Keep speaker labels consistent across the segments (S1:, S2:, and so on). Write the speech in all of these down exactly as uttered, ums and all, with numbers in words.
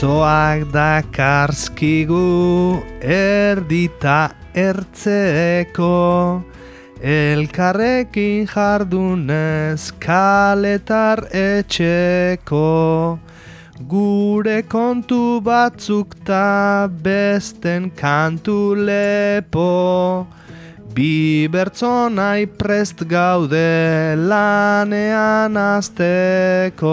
S1: bertsoak dakarzkigu erdita ertzeko, elkarrekin jardunez kaletar etxeko, gure kontu batzuk ta besten kantu lepo, bi bertsonai prest gaude lanean azteko.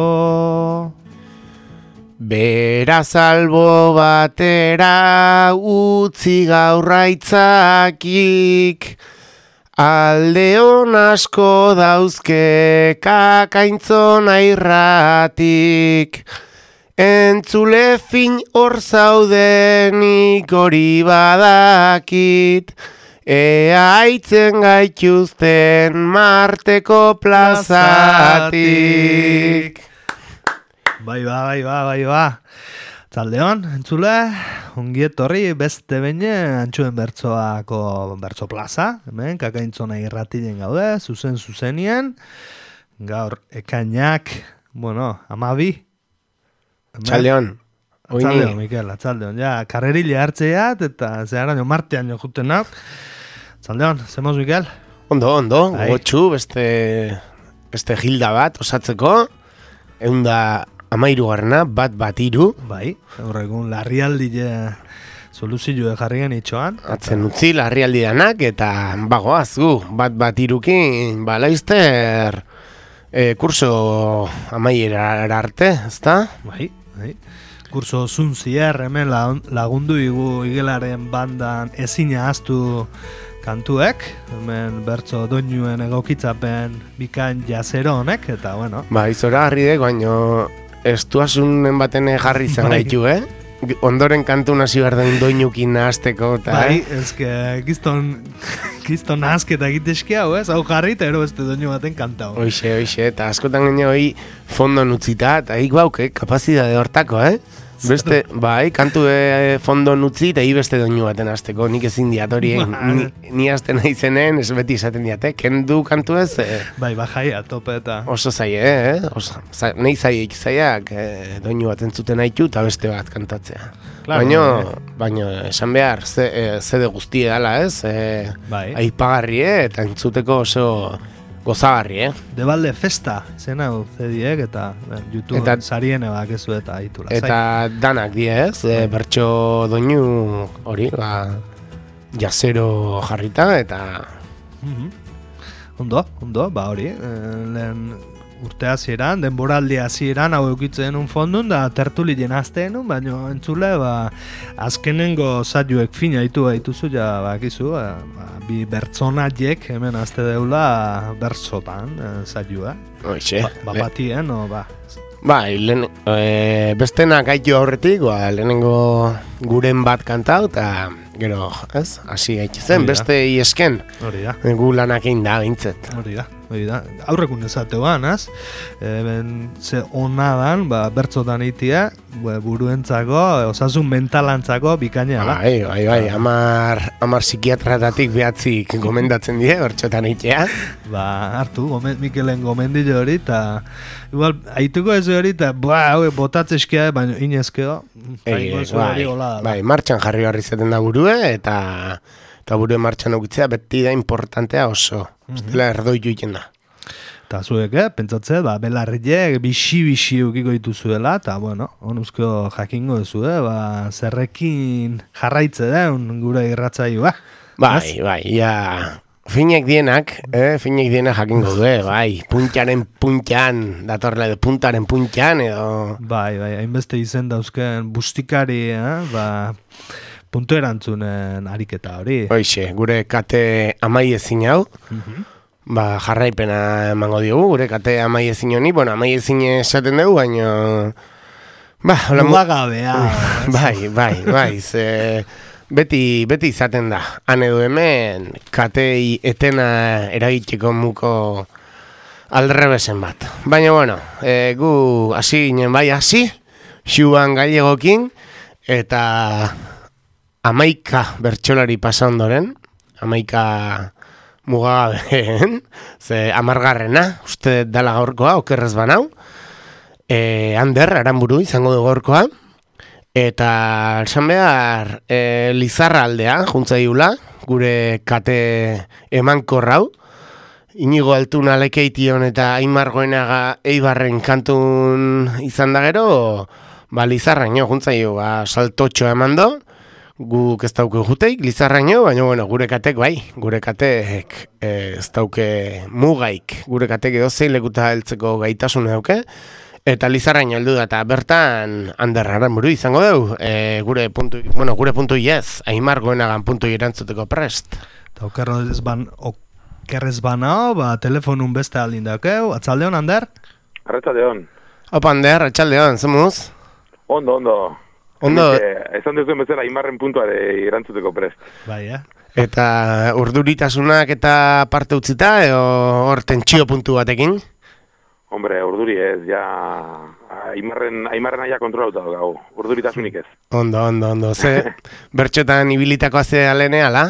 S2: Beraz albo batera utzi gaurraitzakik, aldeon asko dauzke kakaintzona irratik, entzule fin hor zaudenik hori badakit, ea aitzen gaituzten Marteko plazatik.
S1: Bai ba, bai ba, bai ba. Zaldeon, entzule, ongi etorri beste behin Antxuen bertsoako bertso plaza, hemen kakaintzona irratien gaude, zuzen zuzenien, gaur ekainak, bueno, amabi.
S2: Txaldeon.
S1: Atzaldeon, Mikel, atzaldeon. Ja, karrerile hartzeat eta zeharaino martean jo juten hau. Atzaldeon, zemoz, Mikel?
S2: Ondo, ondo, gogotxu, beste, beste gilda bat osatzeko, eunda amairu garna, bat bat iru.
S1: Bai, horregun larrialdi soluzioa jarri genitxoan.
S2: Atzen utzi larrialdi danak eta bagoaz gu, bat bat irukin, balaizter e, kurso amaiera arte, ezta?
S1: Bai, bai. Kurso zunzier hemen lagundu igu igelaren bandan ezina ahaztu kantuek, hemen bertso doinuen egokitzapen bikain jazero honek, eta bueno.
S2: Ba, izora harri dek, baino estuasunen baten jarri izan gaitu, eh? Ondoren kantu nazi behar dain doinukin nahazteko, eta...
S1: Bai, ezke, gizton, gizton nahazketa egitezki hau, ez? Hau jarri, eta ero beste doinu baten kantau.
S2: Oixe, oixe, eta askotan gine hoi fondo nutzita, eta hik bauk, eh? Kapazidade hortako, eh? Beste, bai, kantu e, fondo nutzi eta hi beste doinu baten azteko, nik ezin diat hori, ni, ni azten nahi zenen, ez beti izaten diate, kendu kantu ez? E,
S1: bai, bajaia, tope eta...
S2: Oso zaie, eh? Oso, za, nahi zaiek zaiak e, doinu bat entzuten haitu eta beste bat kantatzea. Claro, baino, eh. baino, esan behar, ze, e, zede guztie dala, ez? E, bai. Aipagarri, eh? Eta entzuteko oso... gozagarri, eh?
S1: Debalde festa, zen hau zediek eta ben, YouTube eta, sariene bakezu eta itula.
S2: Eta zai. Danak die, ez? E, bertso doinu hori, ba, jazero jarrita eta...
S1: Mm-hmm. Ondo, ondo, ba hori, e, lehen urte hasieran, denboraldi hasieran hau eukitzen un fondun da tertuli jenazteen un, baina entzule, ba, azkenengo zaiuek fina itu baituzu, ja, bakizu, ba, bi bertsonaiek hemen azte deula bertsotan zaiua.
S2: Oixe.
S1: Ba, ba batien, no, ba.
S2: Ba, lehen, e, bestenak gaitu aurretik, ba, lehenengo guren bat kantau, eta gero, ez, hasi gaitu zen, beste iesken.
S1: Hori da.
S2: Gu lanak egin da, bintzet.
S1: Hori da. Hori da, aurrekun ezateuan, az? E, ze onadan, ba, bertzotan itia, buruentzako, osasun mentalantzako bikaina da.
S2: Bai, bai, bai, amar, amar psikiatratatik behatzik gomendatzen die, bertzotan itea.
S1: Ba, hartu, gomen, Mikelen gomendile hori, eta igual, haituko ez hori, eta ba, hau, botatzeskia, baina inezkeo,
S2: bai, bai, bai, martxan jarri barri zaten da burue, eta... eta buru martxan ukitzea beti da importantea oso. Ustela mm-hmm. erdoitu iten da.
S1: Eta zuek, eh, pentsatze, ba, belarriek bixi-bixi ukiko dituzuela, eta, bueno, onuzko jakingo duzu, eh, ba, zerrekin jarraitze den gure irratzaioa.
S2: Bai, bai, ja, finek dienak, eh, finek dienak jakingo du, eh, bai, puntaren puntan, datorla edo puntaren puntan, edo...
S1: Bai, bai, hainbeste izen dauzken bustikari, eh, ba... puntu erantzunen ariketa hori.
S2: Hoixe, gure kate amaiezin hau, mm-hmm. ba, jarraipena emango diogu, gure kate amaiezin honi, bueno, amaiezin esaten dugu, baina... Ba, hola...
S1: Mugagabea.
S2: bai, bai, bai, ze... Beti, beti izaten da, han edo hemen, katei etena eragiteko muko aldrebesen bat. Baina, bueno, e, gu hasi ginen bai hasi, xuan gailegokin, eta... Amaika bertsolari pasa ondoren, amaika mugagabeen, ze amargarrena, uste dala gaurkoa, okerrez banau, e, Ander, Aranburu izango du gaurkoa, Eta esan behar, e, Lizarra aldea, juntza diula, gure kate emankorrau. Inigo Altuna Lekeition eta Aimar Goenaga Eibarren kantun izan da gero, ba, Lizarraino, juntzaio, ba, saltotxoa eman do, guk ez dauke juteik, Lizarraino, baina, bueno, gure katek, bai, gure katek eh, ez dauke mugaik, gure katek edo zein lekuta heltzeko gaitasune dauke, eta Lizarraino heldu da, eta bertan Anderraren buru izango dugu, e, gure puntu, bueno, gure puntu iez, Aimar Goenagan puntu irantzuteko prest.
S1: Eta okerro ez ban, okerrez banao, ba, telefonun beste aldin daukeu, atzaldeon, Ander?
S3: Arratsaldeon.
S2: Opa, Ander, atxaldeon, zemuz?
S3: Ondo, ondo.
S2: Ondo.
S3: Esan duzuen bezala, Aimarren puntuare irantzuteko prest.
S1: Bai, eh?
S2: Eta urduritasunak eta parte utzita, edo hor tentsio puntu batekin?
S3: Hombre, urduri ez, ja... Aimarren, Aimarren aia kontrolauta dugu, urduritasunik ez.
S2: Ondo, ondo, ondo. Ze, bertxotan ibilitako azea lehene, ala?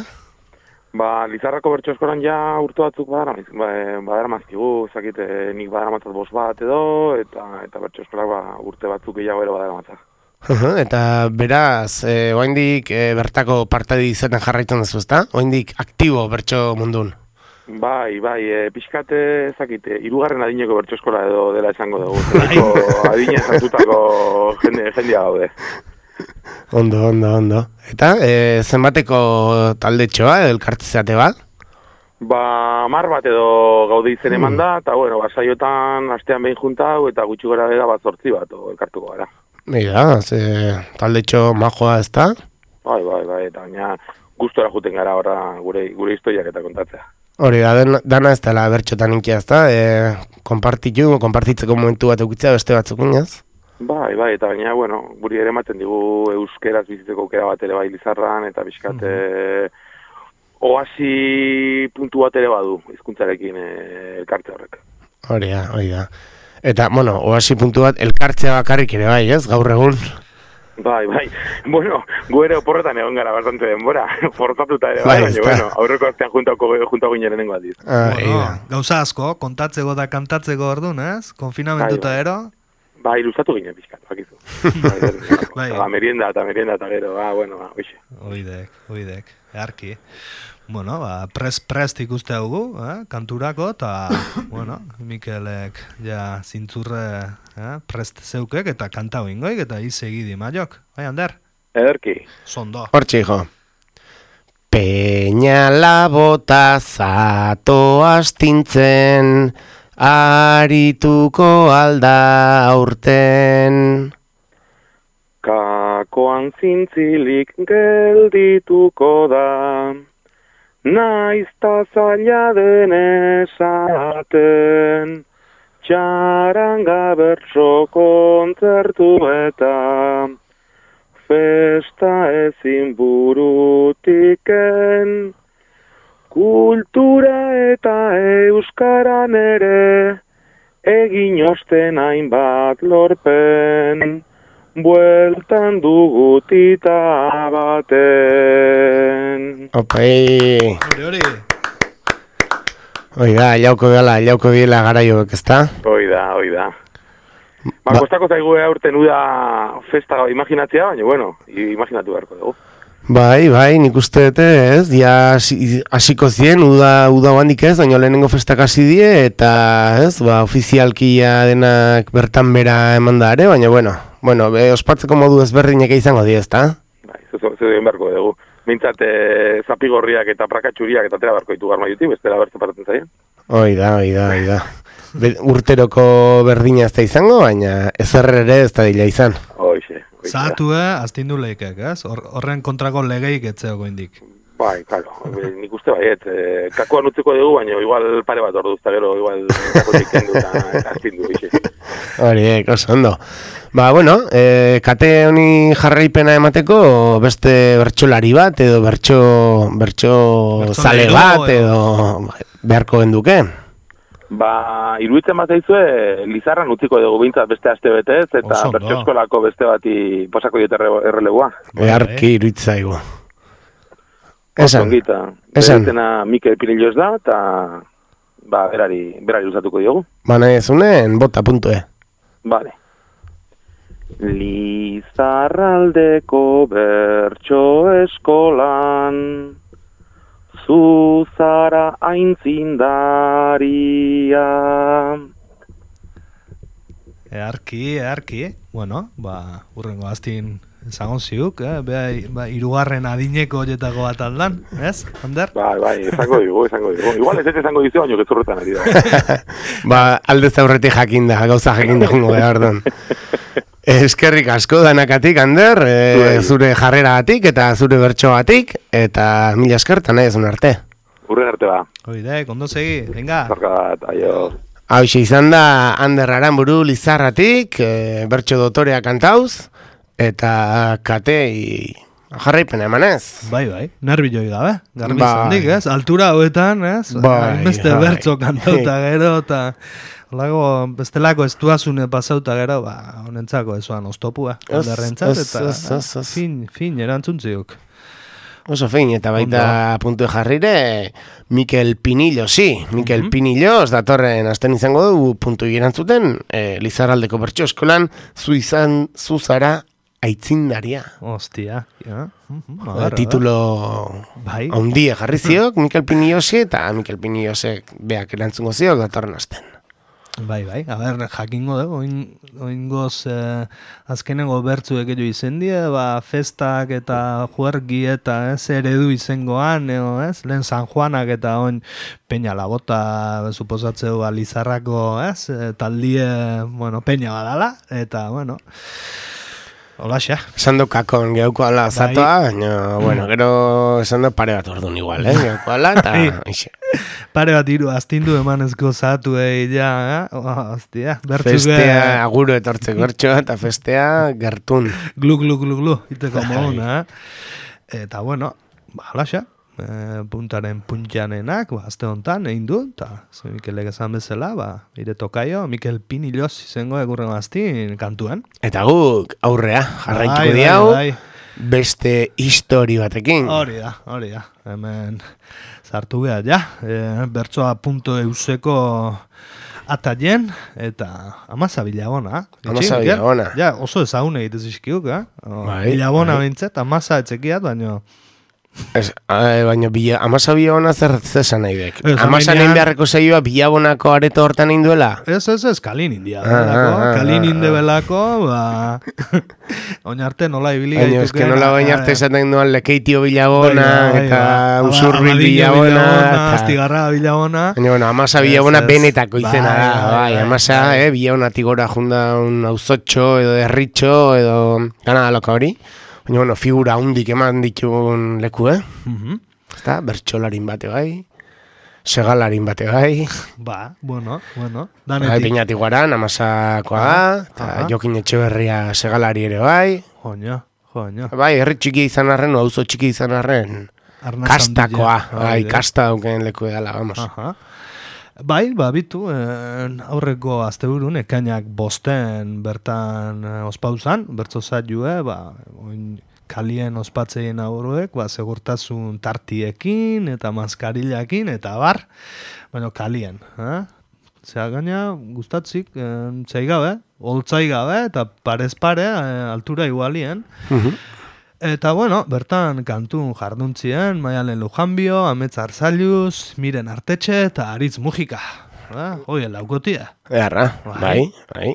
S3: Ba, Lizarrako bertso eskolan ja urte batzuk badara, ba, badara mazkigu, zakite nik badara matzat bost bat edo, eta eta bertso eskolak ba, urte batzuk gehiago ero badara matzat.
S2: Uh-huh, eta beraz, e, oaindik e, bertako partadi izaten jarraitzen duzu, ezta? Oaindik aktibo bertso mundun.
S3: Bai, bai, e, pixkate, zakite, hirugarren adineko bertso eskola edo dela esango dugu. Zeriko adina zartutako jende, jendea gaude.
S2: Ondo, ondo, ondo. Eta, e, zenbateko taldetxoa, elkartzeate bat?
S3: Ba, mar bat edo gaude izen eman da, eta bueno, basaiotan astean behin juntau, eta gutxi gora bera bat zortzi bat elkartuko gara.
S2: Mira, ze taldetxo majoa ez da?
S3: Bai, bai, bai, eta baina gustora juten gara horra gure, gure historiak eta kontatzea.
S2: Hori da, den, dana ez dela bertxotan inkia ez da, e, konpartitu, konpartitzeko momentu bat eukitzea beste batzuk inaz?
S3: Bai, bai, eta baina, bueno, guri ere ematen digu euskeraz bizitzeko aukera bat ere bai Lizarran, eta bizkat mm-hmm. oasi puntu bat ere badu, hizkuntzarekin e, elkartze horrek.
S2: Hori da, hori da. Eta, bueno, oasi puntu bat elkartzea bakarrik ere bai, ez, gaur egun?
S3: Bai, bai, bueno, gu ere oporretan egon gara bastante denbora, forzatuta ere bai, baina, bueno, aurreko astean juntako, juntako ginen nengo aldiz.
S2: Ah,
S1: bueno, gauza asko, kontatzeko da kantatzeko orduan, ez? Konfinamentuta bai, bai. Ero?
S3: Ba, ilustatu ginen pixkat, bakizu. Bai, ba, merienda eta merienda eta gero, ba, bueno, ba, oixe.
S1: Oidek, oidek, earki. Bueno, ba, prest-prest ikuste dugu, eh, kanturako, eta, bueno, Mikelek, ja, zintzurre, eh, prest zeukek, eta kanta hoingoik, eta izegidi maiok. Bai, Ander?
S3: Ederki.
S1: Zondo.
S2: Hortxe, hijo. Peñala bota zato astintzen, arituko alda aurten.
S3: Kakoan zintzilik geldituko da, naizta zaila den esaten, txaranga bertso kontzertu eta festa ezin burutiken, kultura eta euskaran ere, egin osten hainbat lorpen, bueltan dugutita baten.
S2: Opai.
S1: Hori, hori.
S2: Hoi da, jauko dela, jauko diela garaioek, ezta?
S3: Hoi da, hoi da. Ba, kostako zaigu aurten uda festa imaginatzea, baina, bueno, imaginatu beharko dugu.
S2: Bai, bai, nik uste dute, ez, dia hasiko zien, uda, uda handik ez, baina lehenengo festak hasi die, eta, ez, ba, ofizialkia denak bertan bera eman da ere, baina, bueno, bueno, be, ospatzeko modu ezberdinek izango die, ezta?
S3: Bai, zuzen egin beharko dugu. Mintzat, e, zapigorriak eta prakatxuriak eta tera beharko ditu garma juti, bestela bertu paratzen zaien.
S2: Hoi da, hoi da, hoi da. Be, urteroko berdina ez da izango, baina ezer ere ez da dila izan.
S3: Hoixe.
S1: Zahatu, eh, aztindu leikek, ez? Horren kontrako legeik etzeago indik.
S3: Bai, claro, nik uste baiet, eh, kakoan utziko dugu, baina igual pare bat ordu uzta gero, igual kakotik kendu eta aztindu, bixe.
S2: Hori, oso ondo. Ba, bueno, eh, kate honi jarraipena emateko beste bertsolari bat, edo bertso, bertso zale bat, edo beharko genduke.
S3: Ba, iruditzen bat zaizue, Lizarran utziko dugu bintzat beste aste betez, eta bertso eskolako beste bati posako diot errelegua.
S2: Beharki iruditzaigu. Esan,
S3: esan. Beretena Mikel Pirillos da, eta ba, berari, berari usatuko diogu.
S2: Ba, nahi ezunen, bota puntue.
S3: Vale. Lizarraldeko bertso eskolan, zu zara aintzindaria.
S1: Earki, earki. Bueno, ba, urrengo aztin ezagon ziuk, eh? Bea, ba, irugarren adineko horietako bat aldan, ez, Ander?
S3: Bai, bai, izango digu, izango digu. Igual ez ez izango dizu, baino gezurretan ari da.
S2: Ba, aldez aurretik jakinda, gauza jakinda jungo behar duen. Eskerrik asko danakatik, Ander, e, zure jarreragatik eta zure bertsoagatik, eta mila eskertan nahi ezun arte.
S3: Urren arte ba.
S1: Oide, kondo segi, venga.
S3: Zarkat, aio.
S2: Hau izan da Ander Aranburu Lizarratik, e, bertso dotorea kantauz, eta katei jarraipena emanez.
S1: Bai, bai, nervioi gabe, garbi
S2: Bai.
S1: zandik, ez? Altura hoetan, ez?
S2: Bai,
S1: Beste
S2: bai.
S1: bertso kantauta gero, eta Olago, bestelako estuazune pasauta gero, ba, honentzako ezuan oztopua,
S2: Ez,
S1: Anderrentzat,
S2: ez,
S1: eta
S2: ez, ez, ez.
S1: fin, fin, erantzuntziuk.
S2: Oso fein, eta baita puntu jarrire, Mikel Pinillo, sí, Mikel
S1: Mhm.
S2: Pinillo, datorren asten izango du puntu erantzuten, e, Lizarraldeko bertso eskolan, zu izan, zu zara aitzindaria.
S1: Ostia, ja. Mhm, a
S2: E,
S1: ber, a ber.
S2: titulo
S1: Bai.
S2: haundia jarri ziok, Mikel Pinillosi, eta Mikel Pinillosek beak erantzungo ziok datorren asten.
S1: Bai, bai, a ber, jakingo dugu, oin, oingoz eh, azkenengo bertzuek edo izendie, ba, festak eta juergi eta ez eredu izengoan, eo, ez? Lehen San Juanak eta oin peña labota, suposatzeu, ba, Lizarrako, ez? Eh, Taldie, bueno, peña badala, eta, bueno, holaxa.
S2: Esan du kakon geuko ala
S1: Bai.
S2: zatoa, baina, bueno, gero esan du pare bat orduan igual, eh? Geuko ala, eta,
S1: Bai.
S2: ixe.
S1: Pare bat hiru astindu emanezko zatu egi ja, eh? Oh, hostia, bertzuke
S2: Festea, aguro etortzeko bertsoa, eta festea gertun.
S1: glu, glu, glu, glu, iteko moduna, eh? Eta, bueno, ba, holaxa, eh, puntaren puntjanenak, ba, azte honetan, egin du, eta, ze Mikelek esan bezala, ba, ire tokaio, Mikel Pinillos izango egurren aztin kantuan.
S2: Eta guk aurrea jarraituko
S1: Bai, bai,
S2: diau,
S1: bai.
S2: beste histori batekin.
S1: Hori da, hori da, hemen sartu behar, ja, e, bertsoa punto euseko ataien, eta amaza bilabona.
S2: Amaza
S1: Itxi,
S2: bilabona.
S1: Ja, oso ezagun egitez izkiuk, eh? O,
S2: Bai,
S1: bilabona
S2: bai.
S1: bintzet, amaza etzekiat, baina...
S2: Ez, eh, baina bila, amasa bilabona zer zesan nahi dek.
S1: Ez,
S2: Amasa
S1: amainean-
S2: nahin beharreko zeioa bilabonako areto hortan egin duela.
S1: Ez, ez, ez, kalin india,
S2: Ah,
S1: belako,
S2: ah, ah,
S1: kalin
S2: ah,
S1: inde
S2: ah.
S1: belako, ba... Oin arte nola ibili
S2: Baina,
S1: gaituken,
S2: eske nola baina arte
S1: eh,
S2: esaten duan lekeitio bilabona,
S1: bai, bai,
S2: eta
S1: bai.
S2: usurbil
S1: Abadiño
S2: bilabona, eta...
S1: Astigarra bilabona.
S2: Baina, bueno, amasa
S1: Ez,
S2: bilabona
S1: ez.
S2: benetako izena
S1: Bai,
S2: da,
S1: bai,
S2: bai,
S1: bai,
S2: amasa,
S1: bai.
S2: eh, bilabonatik gora junda un auzotxo, edo derritxo, edo... Gana da loka hori. Baina, bueno, figura hundik eman ditun leku, eh?
S1: Mhm.
S2: Ezta, bertxolarin bate bai, segalarin bate bai,
S1: Ba, bueno, bueno.
S2: bai,
S1: Danetik.
S2: peinatik guaran, amasakoa da, eta
S1: Aha.
S2: Jokin Etxeberria segalari ere bai.
S1: Joño, joño.
S2: Bai, herri txiki izan arren, o auzo txiki izan arren,
S1: Arnaz
S2: kastakoa,
S1: handila.
S2: bai,
S1: Hori da.
S2: kasta dauken leku edala, vamos.
S1: Aha. Bai, ba, bitu, eh, aurreko asteburun, ekainak bosten bertan eh, ospauzan, bertzo zailue, ba, oin kalien ospatzeien aurruek, ba, segurtasun tartiekin, eta maskarillakin, eta bar, baina kalien, eh? Zea gaina, gustatzik, eh, zeigabe, holtzaigabe, eta parez pare, eh, altura igualien,
S2: Mhm.
S1: Eta, bueno, bertan kantun jarduntzien, Maialen Lujanbio, Amets Arzailuz, Miren Artetxe eta Aritz Mujika. Ah, Hoi, laukotia.
S2: Eharra,
S1: Bai.
S2: bai, bai.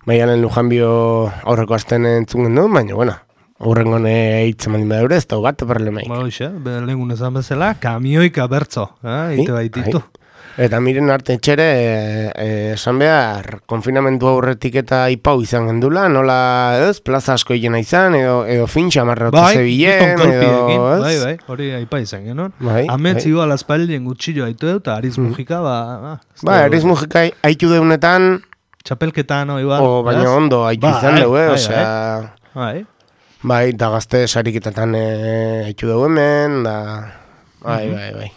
S2: Maialen Lujanbio aurreko asten entzun gendu, baina, bueno, aurrengo ne hitzen maldin badure, ez da bat problemaik.
S1: Ba, hoxe, lehengun esan bezala, kamioika bertzo, eh, ite baititu.
S2: Eta miren arte etxere, e, e, esan behar, konfinamentu aurretik eta ipau izan gendula, nola, ez, plaza asko egena izan, edo, edo fintxa marrotu
S1: Bai,
S2: zebilen,
S1: kriston kolpiekin,
S2: edo, ez?
S1: bai, bai, hori aipa izan genuen.
S2: Bai,
S1: Amets
S2: bai.
S1: igual aspaldien gutxillo haitu dut, eta Aritz Mujika, ba, ah, ez
S2: Ba,
S1: dugu-
S2: eriz mujika haitu deunetan,
S1: Txapelketan, oi, ba,
S2: o baina
S1: ez?
S2: ondo haitu
S1: Bai,
S2: izan dugu, eh,
S1: bai,
S2: osea,
S1: Bai,
S2: bai, da gazte sariketetan e, haitu dugu hemen, da, bai,
S1: Mhm.
S2: bai, bai.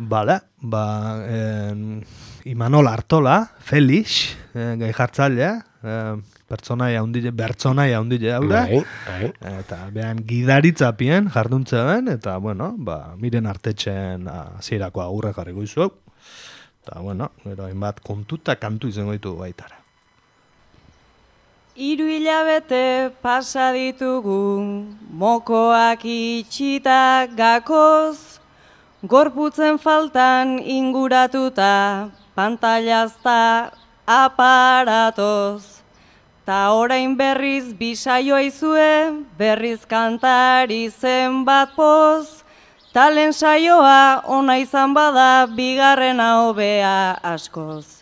S1: Bale, ba, en, Imanol Artola, Felix, eh, gai jartzailea, eh, pertsonaia hundile, bertsonaia hundile haura,
S2: Bai, bai.
S1: eta behan gidaritzapien jarduntze ben, eta, bueno, ba, miren artetxen hasierako agurra jarriko izuak, eta, bueno, gero hainbat kontu eta kantu izango ditu baitara.
S4: Hiru hilabete pasa ditugu, mokoak itxita gakoz, gorputzen faltan inguratuta, pantailazta aparatoz. Ta orain berriz bisaioa izue, berriz kantari zenbat poz, talen saioa ona izan bada, bigarrena hobea askoz.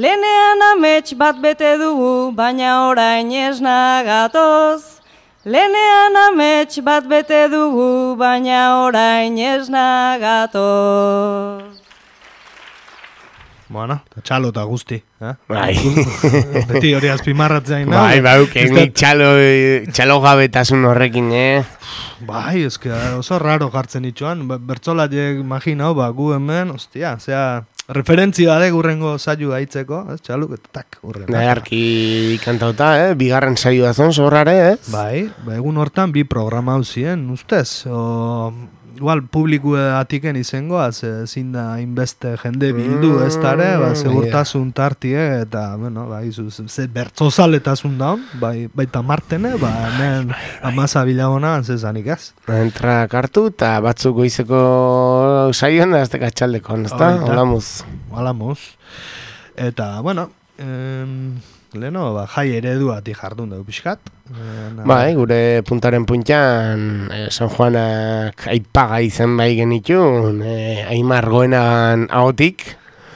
S4: Lehenean amets bat bete dugu, baina orain esna gatoz. Lehenean amets bat bete dugu, baina orain esna gatoz.
S1: Bueno, txalo eta guzti. Eh?
S2: Bai.
S1: Beti hori azpimarratzein.
S2: Bai, bai, nik txalo, txalo gabetasun horrekin, eh?
S1: Bai, eske oso raro jartzen itxoan. Bertzolatiek imaginau, ba, gu hemen, ostia, zea, referentzia de gurrengo saio haitzeko, ez, txaluk, eta tak, urren.
S2: Nagarki kantauta, eh? Bigarren saioa zen, zorrare, eh?
S1: Bai, ba, egun hortan bi programa hau ziren, ustez. O, igual, publiku atiken izangoaz, ezin da inbeste jende bildu ez dara, ba, segurtasun tartie, eta, bueno, ba, izu, ze bertzozaletasun daun, bai, baita martene, ba, hemen amaza bilagona, zezanik ez.
S2: Entrak hartu, eta batzuk goizeko saioan da, azte katxaldeko, ez da? Holamuz.
S1: Holamuz. Eta, bueno, em, leheno, ba, jai ereduatik jardun dugu pixkat.
S2: Bai, gure puntaren puntan eh, San Juanak aipaga izan bai genitun, eh, Aimar goenan ahotik,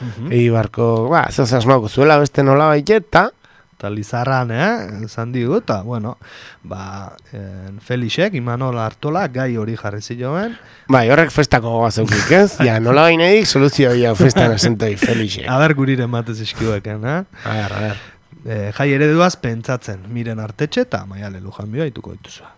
S2: uh-huh. Eibarko, ba, zoz asmauko zuela beste nola baiteta.
S1: Eta Lizarran, eh, esan digu, eta, bueno, ba, en Felixek, Imanol Artola, gai hori jarri ziloen.
S2: Bai, horrek festako gozaukik, ez? Ja, nola bainedik, soluzio ja festan asentoi Felixek.
S1: A ber, guriren batez iskiueken, eh?
S2: A ber, a ber.
S1: E, jai ereduaz pentsatzen, Miren Artetxe eta Maiale Lujanbio haituko dituzua.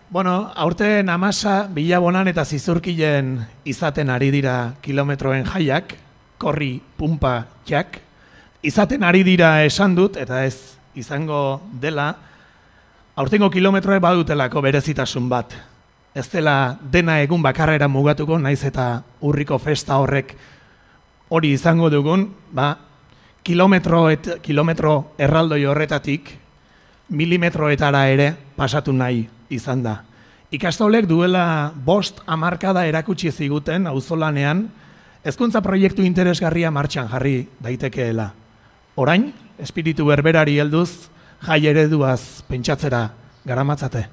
S5: Bueno, aurten amasa, bilabonan eta zizurkilen izaten ari dira kilometroen jaiak, korri, pumpa, jak. Izaten ari dira esan dut, eta ez izango dela, aurtengo kilometroe badutelako berezitasun bat. Ez dela dena egun bakarrera mugatuko, naiz eta urriko festa horrek hori izango dugun, ba, Kilometro, et, kilometro erraldoi horretatik milimetroetara ere pasatu nahi izan da. Ikastolek duela bost hamarkada erakutsi ziguten auzolanean hezkuntza proiektu interesgarria martxan jarri daitekeela. Orain, espiritu berberari helduz jai ereduaz pentsatzera garamatzate.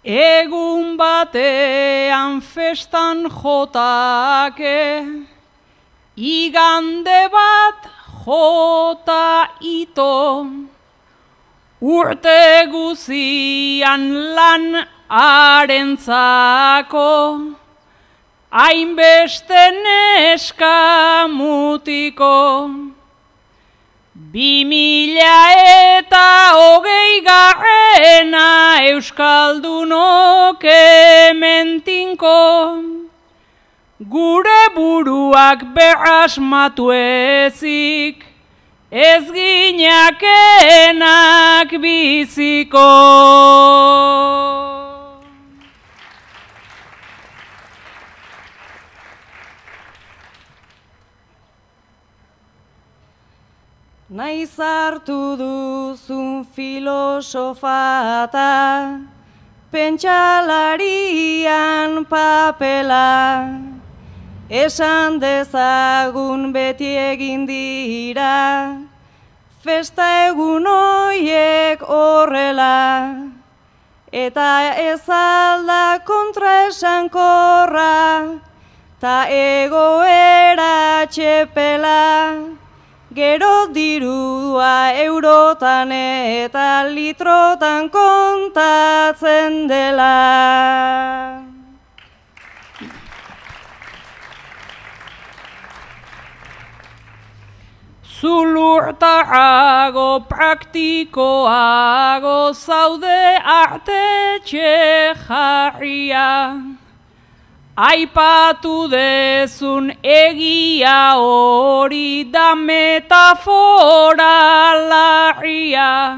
S4: Egun batean festan jotake, igande bat jota ito, urte guzian lan arentzako, hainbeste neska mutiko. Bi mila eta hogei garrena euskaldunok hementinko, gure buruak berasmatu ezik, ez ginakenak biziko. Naiz hartu duzun filosofata, pentsalarian papela, esan dezagun beti egin dira, festa egun hoiek horrela, eta ez alda kontra esankorra, ta egoera txepela, gero dirua eurotan eta litrotan kontatzen dela. Zulurtarago praktikoago zaude artetxe jarria, aipatu dezun egia hori da metafora larria,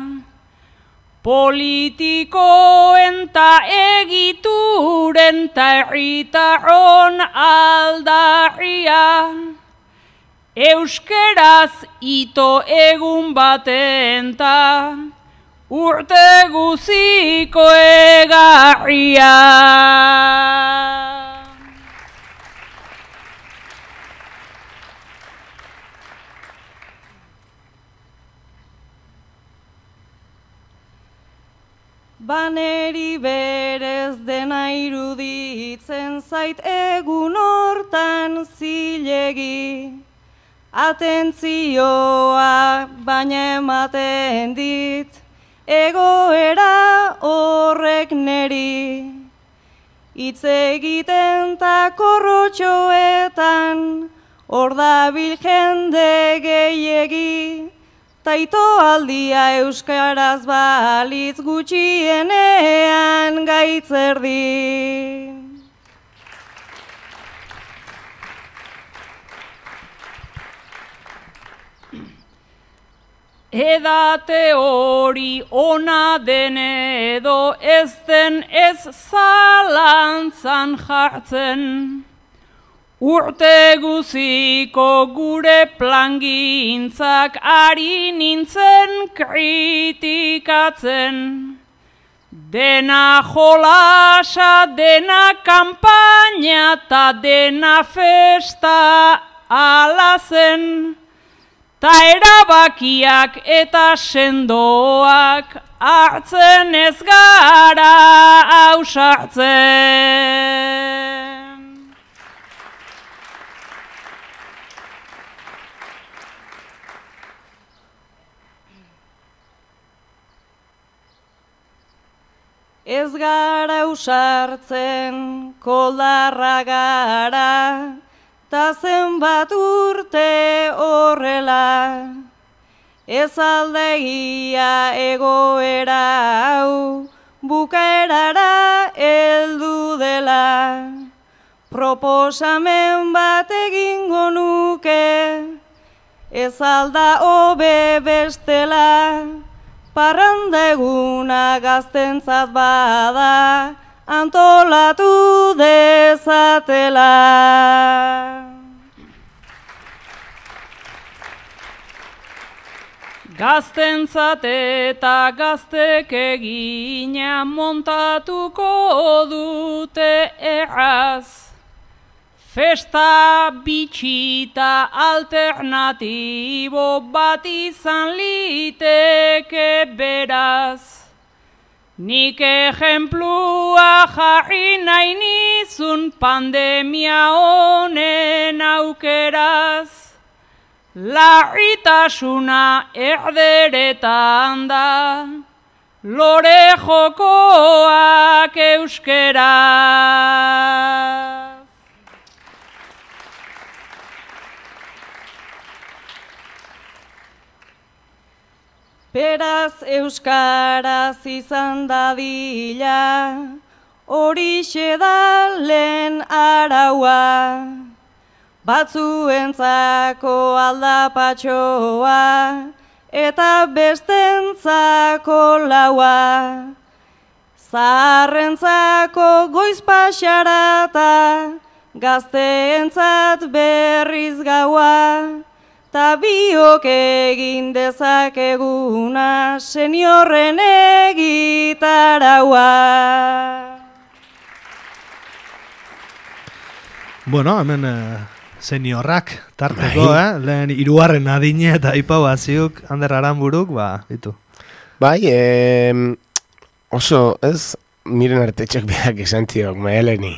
S4: politikoen ta egituren ta herritarron aldarria, Euskeraz ito egun baten ta urte guziko egarria. Baneri berez dena iruditzen zait egun hortan zilegi. Atentzioa baina ematen dit, egoera horrek neri. Hitz egiten ta korrotxoetan, hor dabil jende gehiegi. Taito aldia euskaraz balitz gutxienean gaitzerdi. Edate hori ona den edo ez den ez zalantzan jartzen. Urte guziko gure plangintzak ari nintzen kritikatzen. Dena jolasa, dena kanpaina ta dena festa alazen. Ta erabakiak eta sendoak hartzen ez gara ausartzen. Ez gara ausartzen, koldarra gara, ta zenbat urte horrela. Ez aldegia egoera hau, bukaerara heldu dela. Proposamen bat egingo nuke, ez alda hobe bestela. Parranda eguna gaztentzat bada, antolatu dezatela. Gaztentzat eta gaztek egina montatuko dute erraz. Festa bitxita alternatibo bat izan liteke beraz. Nik ejemplua jarri nahi nizun pandemia honen aukeraz. Larritasuna erderetan da, lore jokoak euskeraz. Beraz euskaraz izan dadila, horixe da lehen araua. Batzuentzako aldapatxoa, eta bestentzako laua. Zaharrentzako goiz paxarata, gazteentzat berriz gaua. Ta biok egin dezakeguna seniorren egitaraua.
S1: Bueno, hemen eh, seniorrak tarteko, bai. eh? Lehen hirugarren adine eta ipau baziuk, Ander Aranburuk, ba, ditu.
S2: Bai, eh, oso, ez, miren artetxek behak esan ziok, maeleni.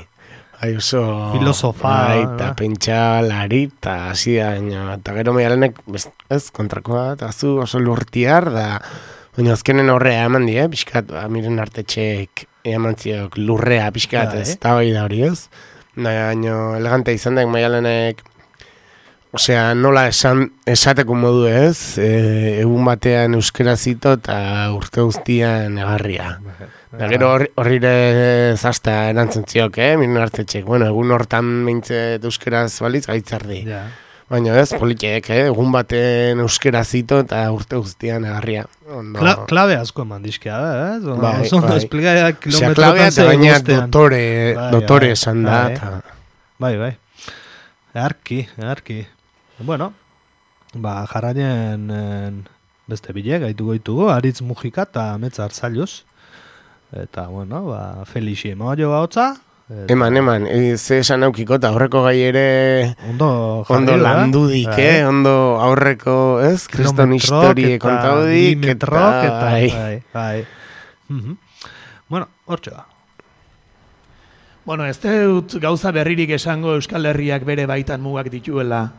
S2: Bai, oso...
S1: Filosofa.
S2: Bai, eta pentsa lari, eta hasi da, eta gero meialenek, ez, kontrakoa, eta zu oso lurtiar, da, baina azkenen horrea eman die, pixkat, ba, miren artetxek eman ziok lurrea, pixkat, ez, eta bai da hori ez. Baina, elegante izan da, meialenek, osea, nola esan, esateko modu ez, e, egun batean euskera zito, eta urte guztian egarria. Da gero horrire zazta erantzun ziok, eh? Miren hartetxek. Bueno, egun hortan meintzet euskeraz balitz gaitzardi.
S1: Ja.
S2: Baina ez, politiek, eh? Egun baten euskera zito eta urte guztian egarria.
S1: Kla, klabe asko eman dizkea, eh?
S2: Bai,
S1: Oso ondo
S2: bai.
S1: esplikaia kilometrotan
S2: klabea eta baina dotore,
S1: Bai,
S2: dotore
S1: bai,
S2: esan da.
S1: bai.
S2: Ta...
S1: Bai, bai. Earki, earki. Bueno, ba, jarraien en, beste bile, gaitu goitugu, Aritz Mujika eta Ametsa Arzailuz. Eta, bueno, ba, Felixi ema jo bautza. Eta...
S2: Eman, eman, e, ze esan aukiko eta aurreko gai ere
S1: ondo,
S2: ondo landudik, eh? Ondo aurreko, ez? Kriston historie kontaudik, eta...
S1: Bai, bai, bai. Uh-huh. Bueno, hortxe da.
S5: Bueno, ez dut gauza berririk esango Euskal Herriak bere baitan mugak dituela,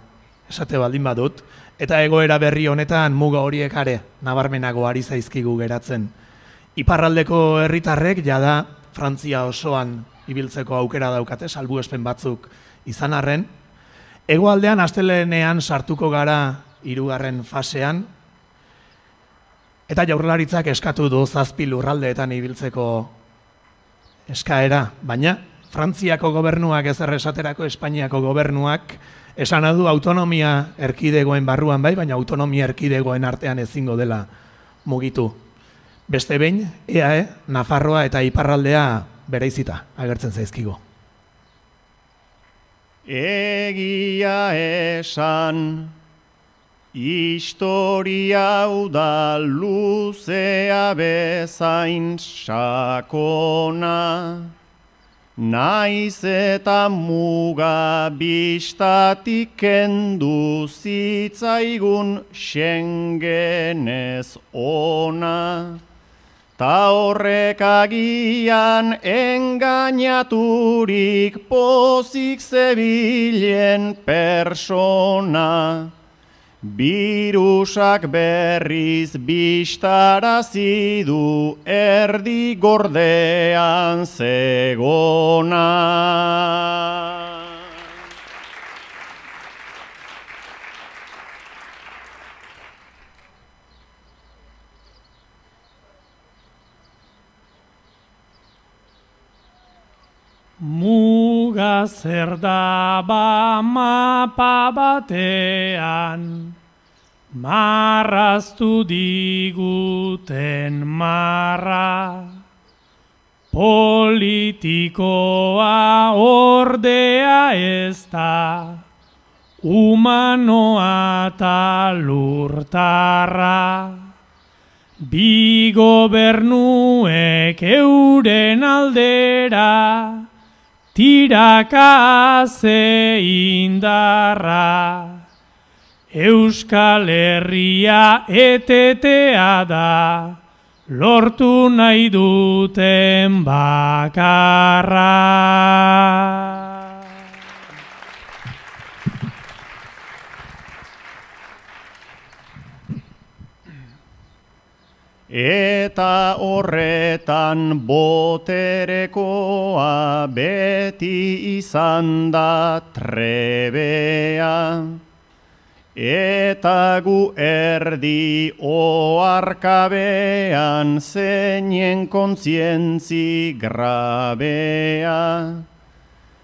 S5: esate baldin badut, eta egoera berri honetan muga horiek are, nabarmenago ari zaizkigu geratzen. Iparraldeko herritarrek jada Frantzia osoan ibiltzeko aukera daukate, salbuespen batzuk izan arren. Hegoaldean astelehenean sartuko gara hirugarren fasean, eta Jaurlaritzak eskatu du zazpi lurraldeetan ibiltzeko eskaera, baina Frantziako gobernuak ezer esaterako Espainiako gobernuak esan du autonomia erkidegoen barruan bai, baina autonomia erkidegoen artean ezingo dela mugitu. Beste behin, E A E, Nafarroa eta Iparraldea bereizita agertzen zaizkigo.
S6: Egia esan, historia hau da luzea bezain sakona, naiz eta muga bistatik kendu zitzaigun Schengenez ona. Ta horrek agian engainaturik pozik zebilen persona. Birusak berriz bistarazi du erdi gordean zegona.
S7: Muga zer da ba mapa batean, marraztu diguten marra. Politikoa ordea ez da, humanoa eta lurtarra. Bi gobernuek euren aldera, tiraka ze indarra. Euskal Herria etetea da, lortu nahi duten bakarra.
S6: Eta horretan boterekoa beti izan da trebea. Eta gu erdi oarkabean zeinen kontzientzi grabea.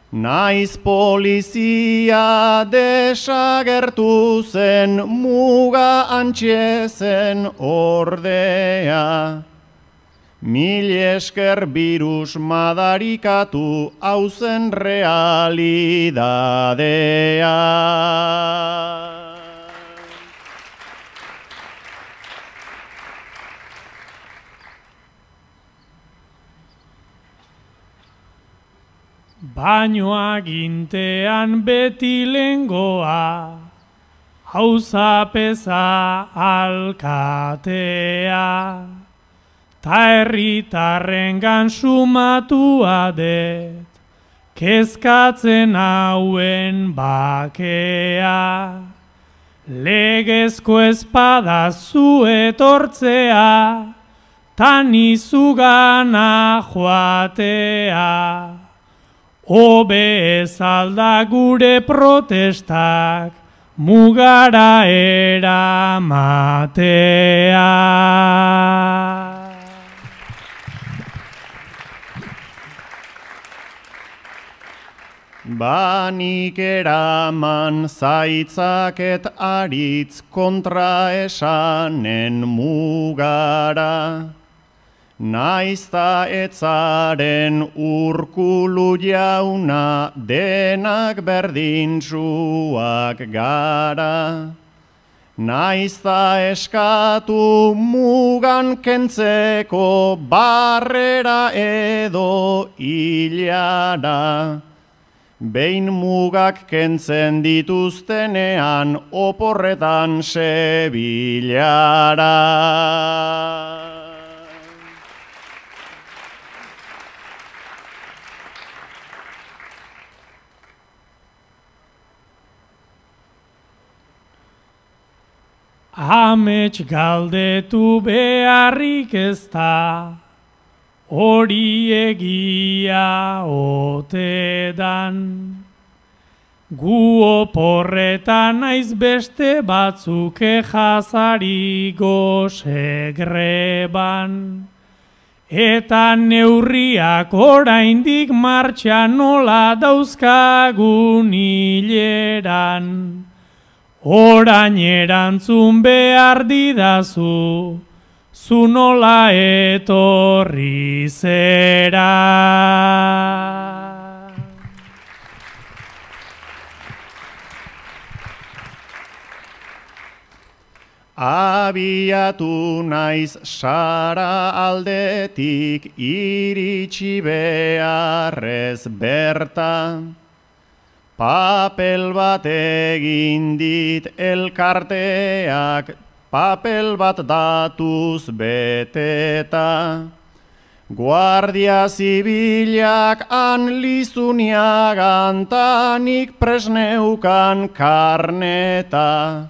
S6: Naiz polizia desagertu zen muga antxe zen ordea. Mil esker birus madarikatu hauzen realidadea.
S7: Baino agintean beti lengoa, auzapeza alkatea, ta herritarrengan sumatua det, kezkatzen hauen bakea. Legezko espada zu etortzea, tan izugana joatea. Hobe ez alda gure protestak mugara eramatea.
S6: Banik eraman zaitzaket aritz kontra esanen mugara. Naizta etzaren Urkulu jauna denak berdintsuak gara. naizta eskatu mugan kentzeko barrera edo hilara. Behin mugak kentzen dituztenean oporretan sebilara.
S7: Amets galdetu beharrik ez da, hori egia ote dan. Gu oporretan naiz beste batzuk jazari goze greban. Eta neurriak oraindik martxan nola dauzkagun hileran. Orain erantzun behar didazu, zu nola etorri zera.
S6: Abiatu naiz sara aldetik iritsi beharrez berta. Papel bat egin dit elkarteak, papel bat datuz beteta. Guardia zibilak han lizuniagan tanik presneukan karneta.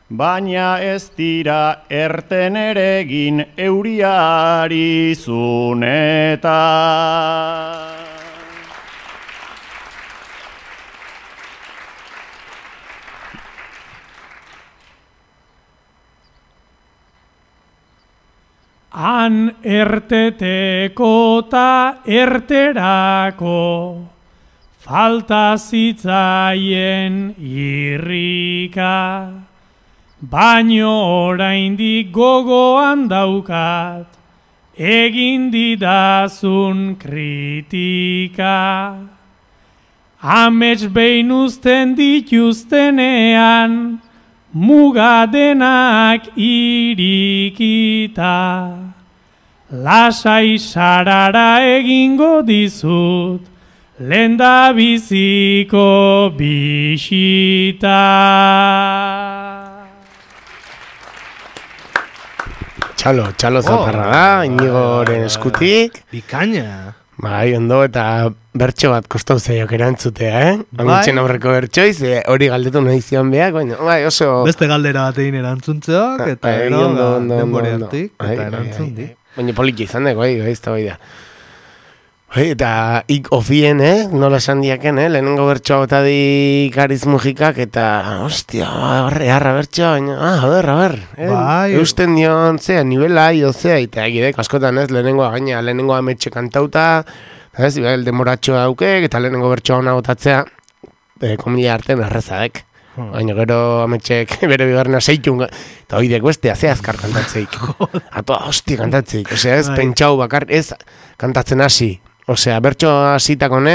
S6: Baina ez dira erten eregin euriari zuneta.
S7: Han erteteko ta erterako, falta zitzaien irrika. Baino oraindik gogoan daukat, egin didazun kritika. Amets behin uzten dituztenean, muga denak irikita. Lasai sarara egingo dizut, lenda biziko bisita.
S2: Txalo, txalo zaparra da, Inigoren eskutik.
S1: Bikaina.
S2: Bai, ondo, eta bertso bat kostau zeiok erantzutea, eh? Amitxen aurreko bertsoiz, eh, hori galdetu nahi zion behak, baina, bai, oso...
S1: Beste galdera bat egin erantzuntzeok, eta
S2: Ai,
S1: ero,
S2: ondo, ondo,
S1: denbori
S2: ondo,
S1: hartik,
S2: ondo. Ai,
S1: eta
S2: ai,
S1: erantzun
S2: ai,
S1: di.
S2: ai. Baina poliki izan dago, bai, bai, ez da bai da. Bai, eta ik ofien, eh? Nola esan diaken, eh? Lehenengo bertsoa gota di Gariz Mujikak, eta, ostia, horre, harra bertsoa, baina, ah, a ber, a ber. Eh?
S1: Bai.
S2: Eusten dion, zea, nivela, io, zea, eta egidek, askotan ez, lehenengoa gaina, lehenengoa ametxe kantauta, ez, el demoratxoa daukek, eta lehenengo bertsoa hona botatzea, e, komila artean errezadek.
S1: Hmm.
S2: Baina gero ametxek bere bigarrena zeitun, eta hoidek bestea, ze azkar kantatzeik. Atoa, hosti kantatzeik, osea ez,
S1: Bai.
S2: pentsau bakar, ez kantatzen hasi. Osea, bertso hasitako ne,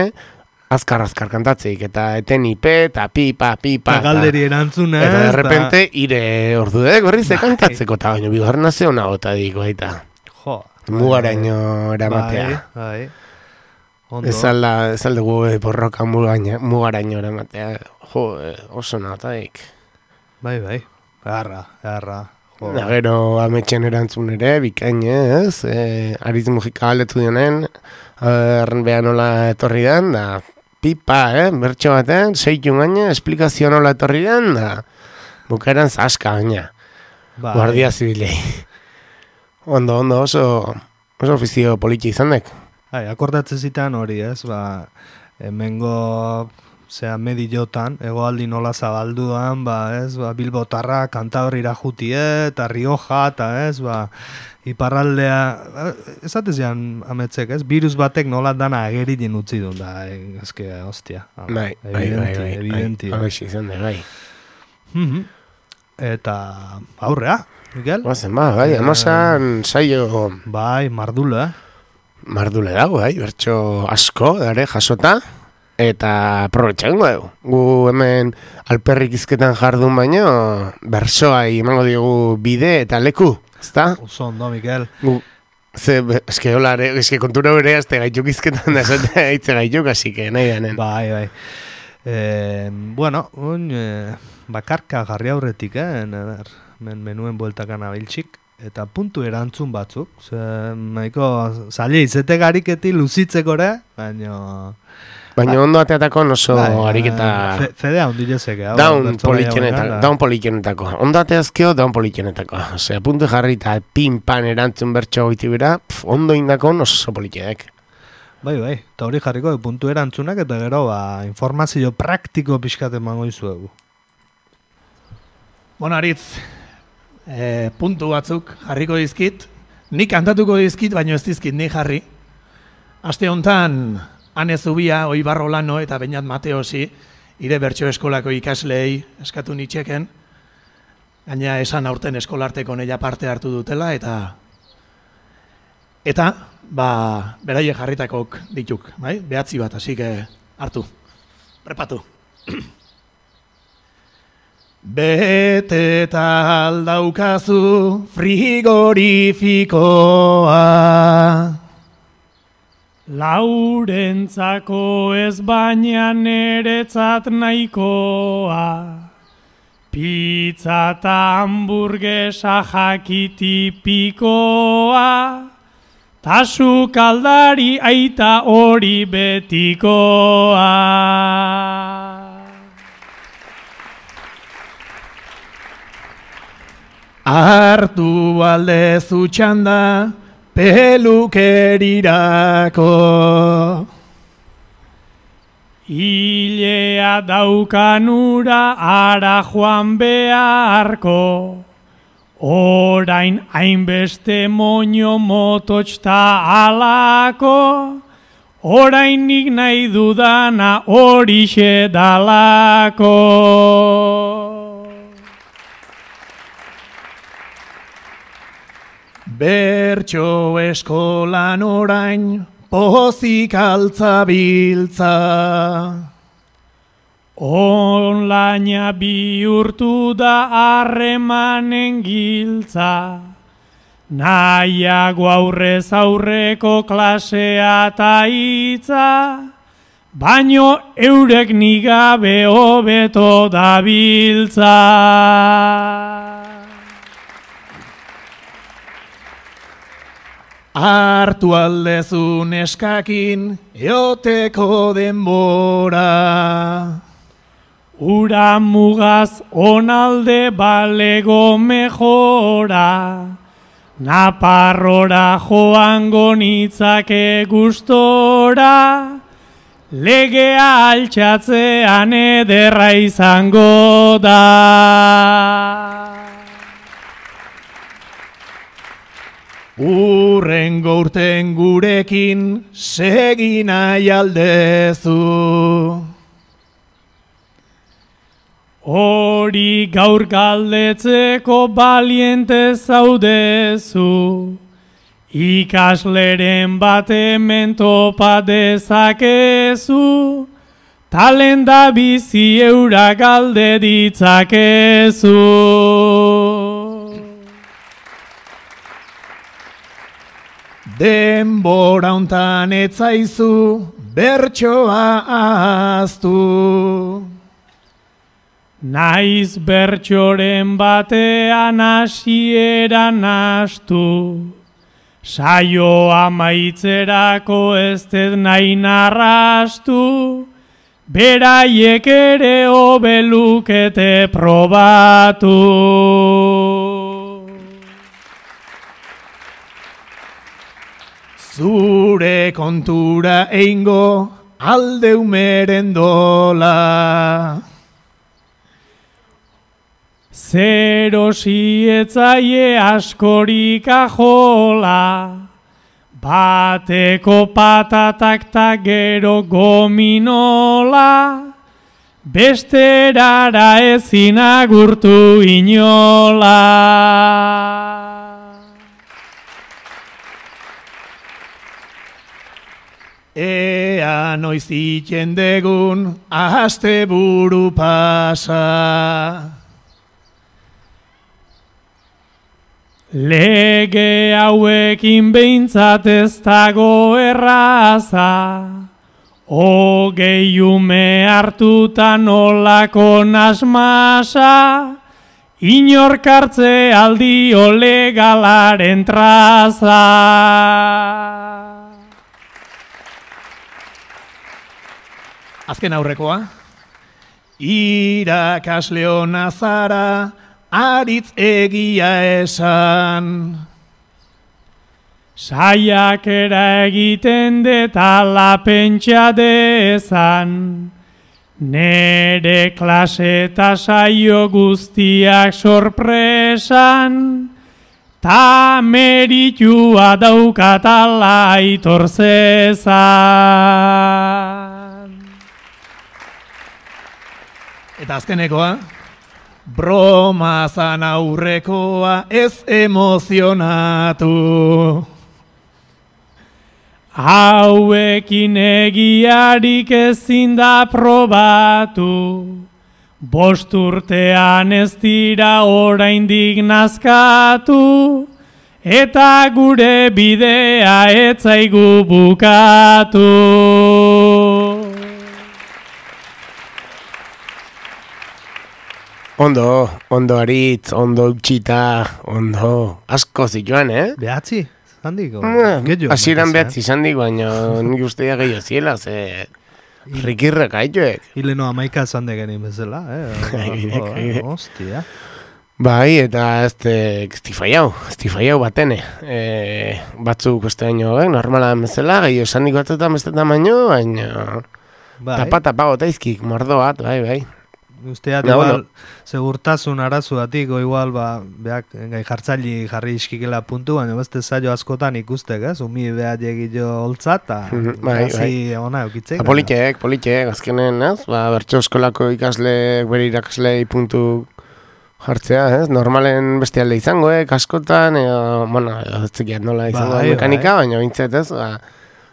S2: azkar-azkar kantatzeik, eta eten ipe, eta pipa, pipa.
S1: Eta galderi erantzunez.
S2: Eta de repente, ire ordu dek berriz
S1: Bai.
S2: kantatzeko, eta baina bigarrena ze hona gota diko, eta
S1: Jo.
S2: mugaraino eramatea.
S1: Bai, bai. Ondo.
S2: Ez alda, ez alde gu borroka mugaina, mugaraino eramatea. Jo, eh, oso nahataik.
S1: Bai, bai. Garra, garra. Jo.
S2: Da gero ametxen erantzun ere, bikain ez, e, Ariz Mujika galdetu dionen, erren beha nola etorri den, da pipa, eh, bertso baten, zeitun gaina, esplikazio nola etorri den, da bukaeran zaska gaina,
S1: Bai.
S2: guardia zibilei. Ondo, ondo, oso, oso ofizio politi izan dek.
S1: Bai, akordatzen zitan hori, ez, ba, hemengo, zera, mediotan, egoaldi nola zabalduan, ba, ez, ba, Bilbotarra, Kantabrira jutie, eta Rioja, eta ez, ba, iparraldea, esatez jan ametzek, ez, virus batek nola dana agerien utzi duen, da, ezke, hostia.
S2: Bai, bai, bai, bai,
S1: evidenti.
S2: bai, bai, izan dek, bai.
S1: Mhm. Eta aurrea, Miguel?
S2: Bazen, ba, bai, amasan saio
S1: Bai, mardula,
S2: mardule dago, bai, bertso asko, dare, jasota. eta aprobetxango dugu. Gu hemen alperrik izketan jardun baino, bersoai emango diogu bide eta leku, ezta?
S1: Oso ondo, Mikel.
S2: Gu, ze, eske hola, eske kontura bere azte gaituk izketan da esatea hitze gaituk, así que nahi danen.
S1: Bai, bai. Eh, bueno, un, eh, bakarka jarri aurretik, eh? Ner, men, menuen bueltakan abiltxik. Eta puntu erantzun batzuk. Ze, nahiko, zaila izete gariketi luzitzeko ere, baina...
S2: Baina ondo ateatako oso
S1: bai,
S2: ariketa...
S1: Fe, fedea ondilezeke.
S2: Daun politxenetako, daun politxenetako. Ondo ateazkeo, daun politxenetako. Osea, puntu jarri eta pin-pan erantzun bertxo goiti bera, pf, ondo indako oso politxenek.
S1: Bai, bai, eta hori jarriko puntu erantzunak eta gero ba, informazio praktiko pixkat emango izuegu.
S5: Bueno, Aritz, e, puntu batzuk jarriko dizkit. Nik kantatuko dizkit, baino ez dizkit nik jarri. Aste hontan, Ane Zubia, Oibarro Lano eta Beñat Mateosi, ire bertso eskolako ikaslei eskatu nitxeken. Gaina esan aurten eskolarteko neia parte hartu dutela eta... Eta, ba, beraie jarritakok dituk, bai? Behatzi bat, hasi que hartu. Prepatu. Beteta aldaukazu frigorifikoa,
S7: laurentzako ez baina neretzat nahikoa, pizza eta hamburguesa jakitipikoa, ta sukaldari aita hori betikoa.
S5: Hartu aldezu txanda pelukerirako,
S7: hilea daukanura ara joan beharko, orain hainbeste moño mototxta alako, orain nik nahi dudana horixe dalako.
S5: Bertso eskolan orain pozik altzabiltza,
S7: onlaina bihurtu da harremanen giltza, nahiago aurrez aurreko klasea eta hitza, baino eurek nigabe hobeto dabiltza.
S5: Hartu aldezu neskakin eoteko denbora,
S7: ura mugaz onalde balego mejora, Naparrora joango nitzake gustora, legea altxatzean ederra izango da.
S5: Urrengo urten gurekin segi nahi aldezu,
S7: hori gaur galdetzeko baliente zaudezu, ikasleren bat hemen topa dezakezu, talenda bizi eura galde ditzakezu.
S5: Denbora hontan etzaizu bertsoa ahaztu,
S7: naiz bertsoren batean hasieran hastu, saio amaitzerako ez dut nahi narrastu, beraiek ere hobelukete probatu.
S5: Zure kontura eingo alde umeren dola,
S7: zero sietzaie askorik ajola, bateko patatak ta gero gominola, besterara ezin agurtu inola.
S5: ea noiz iten degun aste buru pasa.
S7: Lege hauekin behintzat ez dago erraza, hogei ume hartuta nolako nasmasa, inorkartze aldio legalaren traza.
S5: Azken aurrekoa. Irakasle ona zara, aritz egia esan.
S7: Saiakera egiten detala pentsa dezan, nere klase eta saio guztiak sorpresan, ta meritua daukatala aitor zezan.
S5: Eta azkenekoa. Broma zan aurrekoa ez emozionatu.
S7: Hauekin egiarik ezin da probatu, bost urtean ez dira oraindik nazkatu, eta gure bidea ez zaigu bukatu.
S2: Ondo, ondo aritz, ondo utxita, ondo, asko zituan, eh?
S1: Behatzi, zandiko.
S2: Hasieran behatzi zandik, baina nik usteia gehiago ziela, ze rikirrek haituek.
S1: Hileno amaika zande genin bezala, eh? Hostia.
S2: Bai, eta ez estifaiau, estifaiau batene. E, batzuk uste baino, eh? Normala bezala, gehiago zandik batzutan bestetan baino, baina tapa-tapa gotaizkik, mordo bat, bai, bai.
S1: Usteat, no, igual, no. Segurtasun arazuatik, o igual, ba, beak, gai jartzaili jarri iskikela puntu, baina beste zailo askotan ikustek, ez? Umi behat egillo holtzat, eta
S2: bai, bai.
S1: Ona eukitzek.
S2: Politek, politek, azkenen, ez? Ba, bertso eskolako ikasleek, bere irakaslei puntu jartzea, ez? Normalen beste alde izango, eh? Askotan, edo, bueno, ez zikiat nola izango bai, mekanika, bai. Baina bintzet, ez? Ba,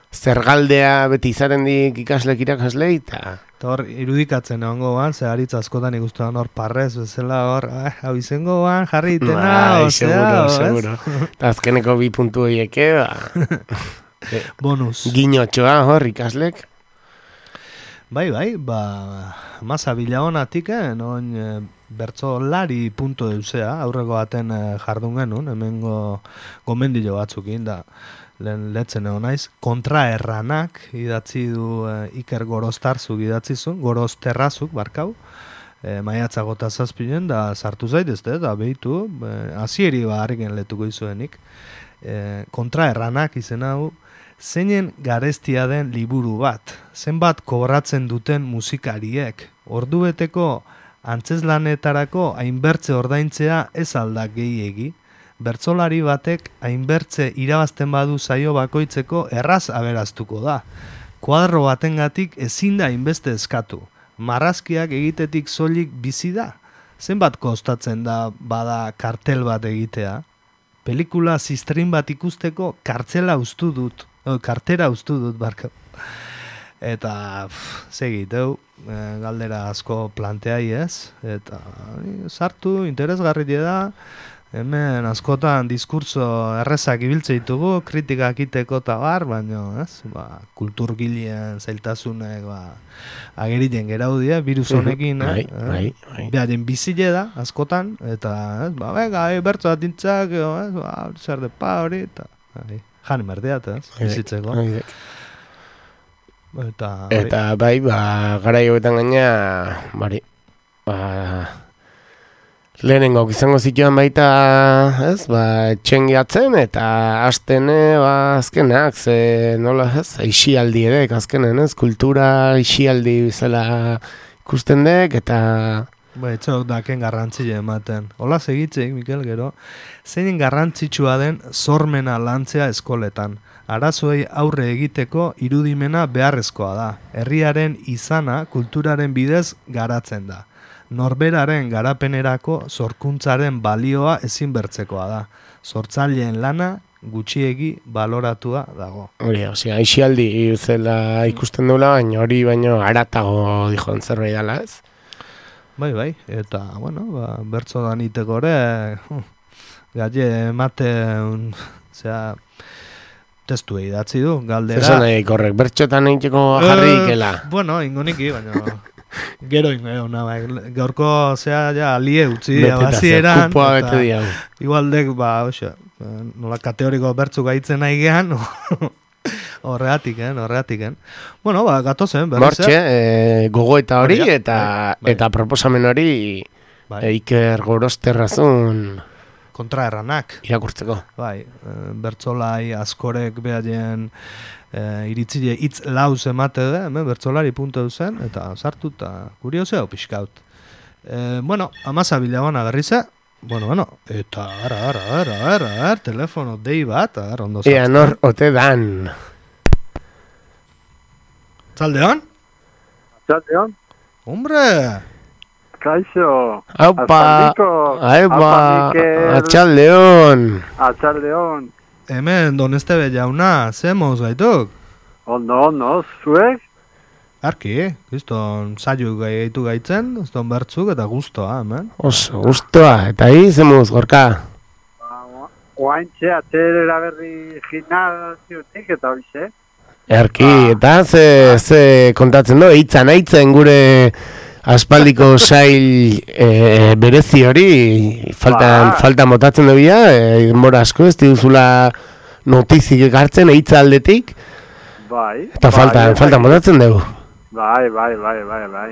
S2: zergaldea beti izaren dik ikaslek irakaslei, eta...
S1: Eta hor, irudikatzen egongo ban, ze haritz askotan ikustuan hor parrez, bezala hor, ah, hau izango ban, jarri itena,
S2: bai,
S1: osea,
S2: seguro, seguro. Eta azkeneko bi puntu horieke, ba...
S1: Bonus.
S2: Giñotxoa hor ikaslek.
S1: Bai, bai, ba, masa bilagonatik, eh, non e, bertsolari puntu deuzea, aurreko baten e, jardun genuen, hemengo gomendilo batzukin, da... lehen letzen egon naiz, kontraerranak idatzi du e, Iker Goroztarzuk idatzi zuen, Gorozterrazuk barkau, e, maiatza gota zazpinen, da sartu zaitezte, da behitu, e, azieri ba harriken letuko izuenik. E, kontraerranak izen hau, zeinen garestia den liburu bat, zenbat kobratzen duten musikariek, ordubeteko antzeslanetarako hainbertze ordaintzea ez aldak gehiegi, bertsolari batek hainbertze irabazten badu saio bakoitzeko erraz aberaztuko da. Kuadro batengatik ezin da hainbeste eskatu. Marrazkiak egitetik soilik bizi da. Zenbat kostatzen da bada kartel bat egitea? Pelikula zistrin bat ikusteko kartzela ustu dut. O, kartera ustu dut, barka. Eta, segiteu, galdera asko planteai ez. Eta, sartu, interesgarri da. Hemen askotan diskurso errezak ibiltze ditugu, kritikak iteko eta bar, baina ez, ba, kulturgilean zailtasunek ba, ageriten geraudia, virus honekin,
S2: bai,
S1: eh?
S2: Bai, bai.
S1: Beharen bizile da, askotan, eta ez, ba, bega, e, bertzo bat dintzak, ez, ba, zer de pa hori, eta bai, jan emerdeat, ez, bizitzeko. Eta,
S2: eta bai, ba, gara joetan gaina, bari, ba... Lehenengo izango zituan baita, ez, ba, txengiatzen eta astene, ba, azkenak, ze, nola, ez, aixialdi edek, azkenen, ez, kultura aixialdi bizala ikusten dek, eta...
S1: Ba, etxok daken garrantzile ematen. Hola segitzeik, Mikel, gero, zein garrantzitsua den sormena lantzea eskoletan. Arazoei aurre egiteko irudimena beharrezkoa da. Herriaren izana kulturaren bidez garatzen da. Norberaren garapenerako sorkuntzaren balioa ezin bertzekoa da. Sortzaileen lana gutxiegi baloratua dago.
S2: Hori, osea, aixialdi zela ikusten duela, baina hori baino aratago dijon zerbait dela, ez?
S1: Bai, bai, eta, bueno, ba, bertso daniteko ere, galle emate, un, zera, testu idatzi du, galdera.
S2: Zesan nahi korrek, bertxotan egiteko jarri ikela.
S1: Uh, bueno, ingoniki, baina... Gero ingo egon, bai. Gaurko zea ja alie utzi abazieran.
S2: Kupoa bete diau.
S1: Igualdek, ba, oxe, nola kategoriko bertzu gaitzen nahi gehan, horreatik, eh, horreatik, eh. Bueno, ba, gatozen, berriz.
S2: Mortxe, eh, gogoeta hori
S1: Horria,
S2: eta
S1: bai, bai.
S2: eta proposamen hori
S1: Bai.
S2: eh, Iker Gorosterrazun
S1: kontraerranak.
S2: irakurtzeko.
S1: Bai, eh, bertzolai askorek behaien eh, iritzile hitz lauz emate da, hemen bertzolari puntu duzen, eta sartu eta kurioseo pixkaut. Eh, bueno, amaza bilabona berrize, bueno, bueno, eta ara, ara, ara, ara, ara, telefono dei bat, ara, ondo
S2: Ea nor ote dan.
S1: Zaldeon?
S8: Zaldeon?
S1: Hombre!
S8: Kaixo!
S2: Aupa!
S8: Azaldiko!
S2: Aupa!
S8: Mikel!
S2: Atxaldeon!
S8: Atxaldeon!
S1: Hemen, Donestebe jauna, ze moz gaituk?
S8: Ondo, ondo, zuek?
S1: Arki, gizton saio gaitu gaitzen, gizton bertzuk eta guztoa, hemen.
S2: Oso, guztua, eta hi, zemuz, gorka?
S8: Oaintxe, atxerera berri gimnaziotik eta hoxe.
S2: Erki, eta ze, ze kontatzen du, eitzan, eitzen gure aspaldiko sail e, berezi hori, faltan,
S8: Ba.
S2: faltan botatzen dubia, e, denbora asko, ez duzula notizik ekartzen eitza aldetik,
S8: Bai.
S2: eta
S8: bai,
S2: faltan,
S8: bai,
S2: faltan botatzen dugu.
S8: Bai, bai, bai, bai, bai.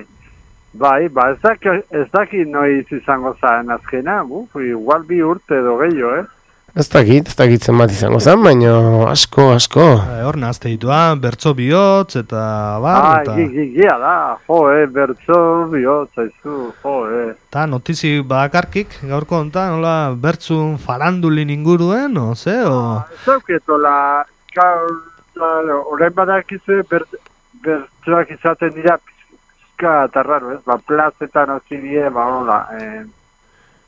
S8: Bai, ba, ez daki, ez daki noiz izango zaren azkena, buf, igual bi urte edo gehiago, eh?
S2: Ez dakit, ez dakit zenbat izango zen, baina asko, asko.
S1: E, hor nazte ditua, bertso bihotz eta bar,
S8: Ah,
S1: eta...
S8: gigia da, jo, eh, bertso bihotz, aizu, jo, eh.
S1: Eta notizi bakarkik, gaurko hontan, nola, bertzun farandulin inguruen, o ze, o...
S8: Ez dauketola, horrein badakizu bert, bertsoak izaten dira pizka eta raro, ez? Ba, plazetan hasi die, ba, hola, eh,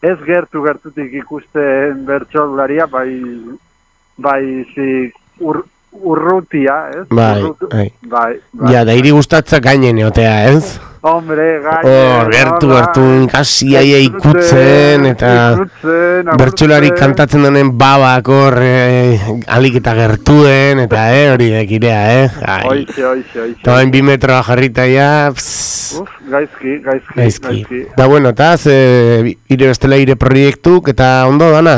S8: ez gertu gertutik ikusten bertsolaria, bai, bai, zi, ur, urrutia, ez?
S2: Bai,
S8: Urrutu-
S2: bai.
S8: bai, bai.
S2: Ja, da hiri gustatzak gainen eotea, ez?
S8: Hombre, gaine,
S2: Hor, gertu,
S8: hola,
S2: gertu, ikasi aia ikutzen, eta
S8: ikutzen,
S2: bertsolari
S8: agurtzen.
S2: kantatzen denen babak hor, eh, alik eta gertuen, eta eh, hori dekirea, eh? Ai.
S8: Oixe, oixe, oixe.
S2: Eta bain bi metroa jarrita ja, pss,
S8: Uf, gaizki, gaizki,
S2: gaizki.
S8: gaizki.
S2: Da bueno, eta ze, ire bestela ire proiektuk, eta ondo dana?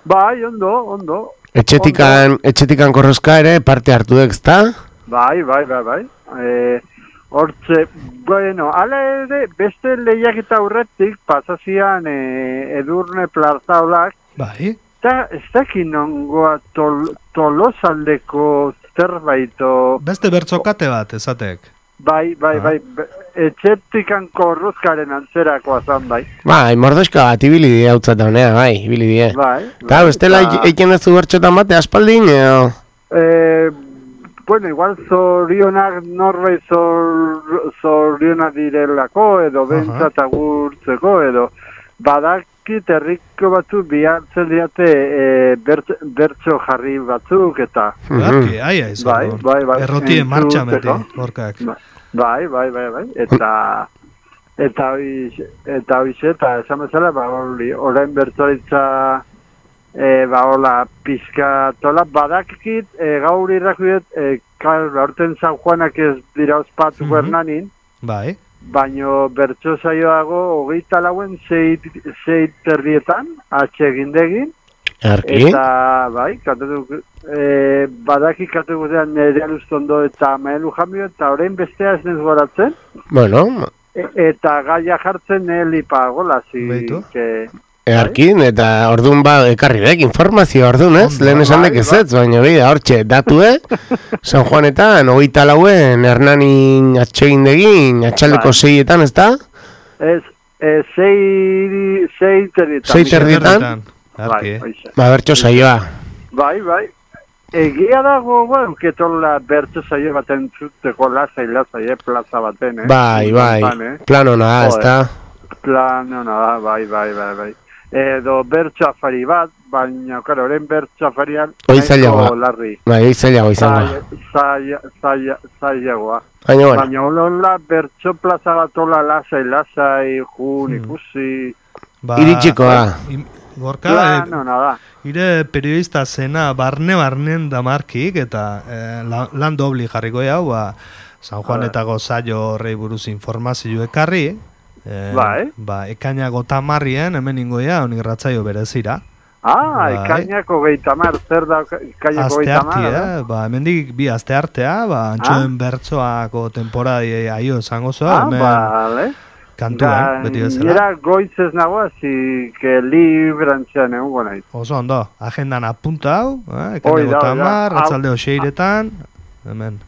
S8: Bai, ondo, ondo.
S2: Etxetikan, etxetikan korrozka ere parte hartu dek, ezta?
S8: Bai, bai, bai, bai. E, hortze, bueno, ala ere, beste lehiaketa aurretik pasazian e, Edurne Plazaolak,
S1: Bai,
S8: eta ez dakin nongoa tol, tolosaldeko zerbaito,
S1: beste bertzokate bat, esatek.
S8: bai, bai, bai, be- etxetikan korruzkaren antzerakoa zan, bai.
S2: Bai, mordoska bat, ibili die hau zata honea, bai, ibili die.
S8: Bai,
S2: Eta bestela
S8: eta-
S2: eiken ez du bertxotan bate aspaldin, edo?
S8: Eh, bueno, igual zorionak norbait zor, zorionak direlako, edo bentsat agurtzeko, edo badakit herriko batzu bihartzen diate e, bert, bertso jarri batzuk, eta
S1: Arki, aia izan.
S8: Bai, bai, bai.
S1: Errotien martxa beti,
S8: Entzuteko.
S1: gorkak.
S8: bai, bai, bai, bai, eta eta hoiz, eta hoiz, eta esan bezala, ba, hori, orain bertsoritza e, ba, hola, pizka tola, badakit, e, gaur irrakudet, e, kar, aurten San Juanak ez dira ospatu
S1: Mhm.
S8: Bernanin,
S1: Bai,
S8: baino bertso saioago hogeita lauen sei, sei terrietan, atxegindegin,
S2: Arki?
S8: eta, bai, kantatu, e, badaki kantatu guzean Nerea Lustondo eta Maelu Jamio, eta orain bestea ez nez goratzen,
S2: Bueno,
S8: e, eta gaia jartzen Elipa Golazi,
S1: Beitu.
S8: que...
S2: earkin, eta ordun ba, ekarri dek, informazio ordun, ez?
S1: Ondo,
S2: Lehen esan
S8: bai,
S2: dek ez
S8: bai.
S2: ez, baina bida, hortxe, datue, San Juanetan, hogeita lauen, Hernanin atxegindegin, atxaldeko
S8: Bai.
S2: seietan, ez da?
S8: Ez, e, sei, sei terrietan.
S2: Sei terrietan.
S1: Arki,
S8: Bai, hoixe.
S2: Ba, bertxo saioa.
S8: Bai, bai. Egia dago, bueno, ketola bertso saio bat entzuteko lasai, lasai, eh, plaza baten, eh?
S2: Bai, bai,
S8: Honetan, eh?
S2: plan hona da, ez da?
S8: Plan, no, no, bai, bai, bai, bai. edo bertso afari bat, baina, karo, orain bertso afarian
S2: Oizailagoa.
S8: larri.
S2: Bai, oizailagoa izango.
S8: Zailagoa.
S2: Baina, bueno.
S8: Baina, hola, bertso plaza bat hola lasai, lasai, jun, ikusi...
S1: Ba,
S2: Iritsikoa.
S1: im- Gorka,
S8: Claro,
S1: eh,
S8: no, nada.
S1: ire periodista zena barne-barnen damarkik, eta eh, la- lan dobli jarriko jau, ba, San Juanetako zailo horrei buruz informazio ekarri, eh,
S8: Bai.
S1: ba, ekainako tamarrien, hemen ingoia, honik ratzaio berezira.
S8: Ah,
S1: Bai.
S8: ekainako geitamar, zer da ekainako
S1: Aste
S8: geitamar?
S1: arti, eh? Ba, hemendik bi aste artea, ba, antxoen bertsoako temporadi aio esango zoa,
S8: Ah,
S1: hemen
S8: vale.
S1: kantuan, beti bezala.
S8: Gainera goiz ez nago, así que librantzean egongo naiz.
S1: Oso ondo, agendan apunta hau, eh?
S8: Hoi
S1: ekaineko
S8: da, hoi da.
S1: tamar,
S8: Hau-
S1: ratzaldeo seiretan, hemen,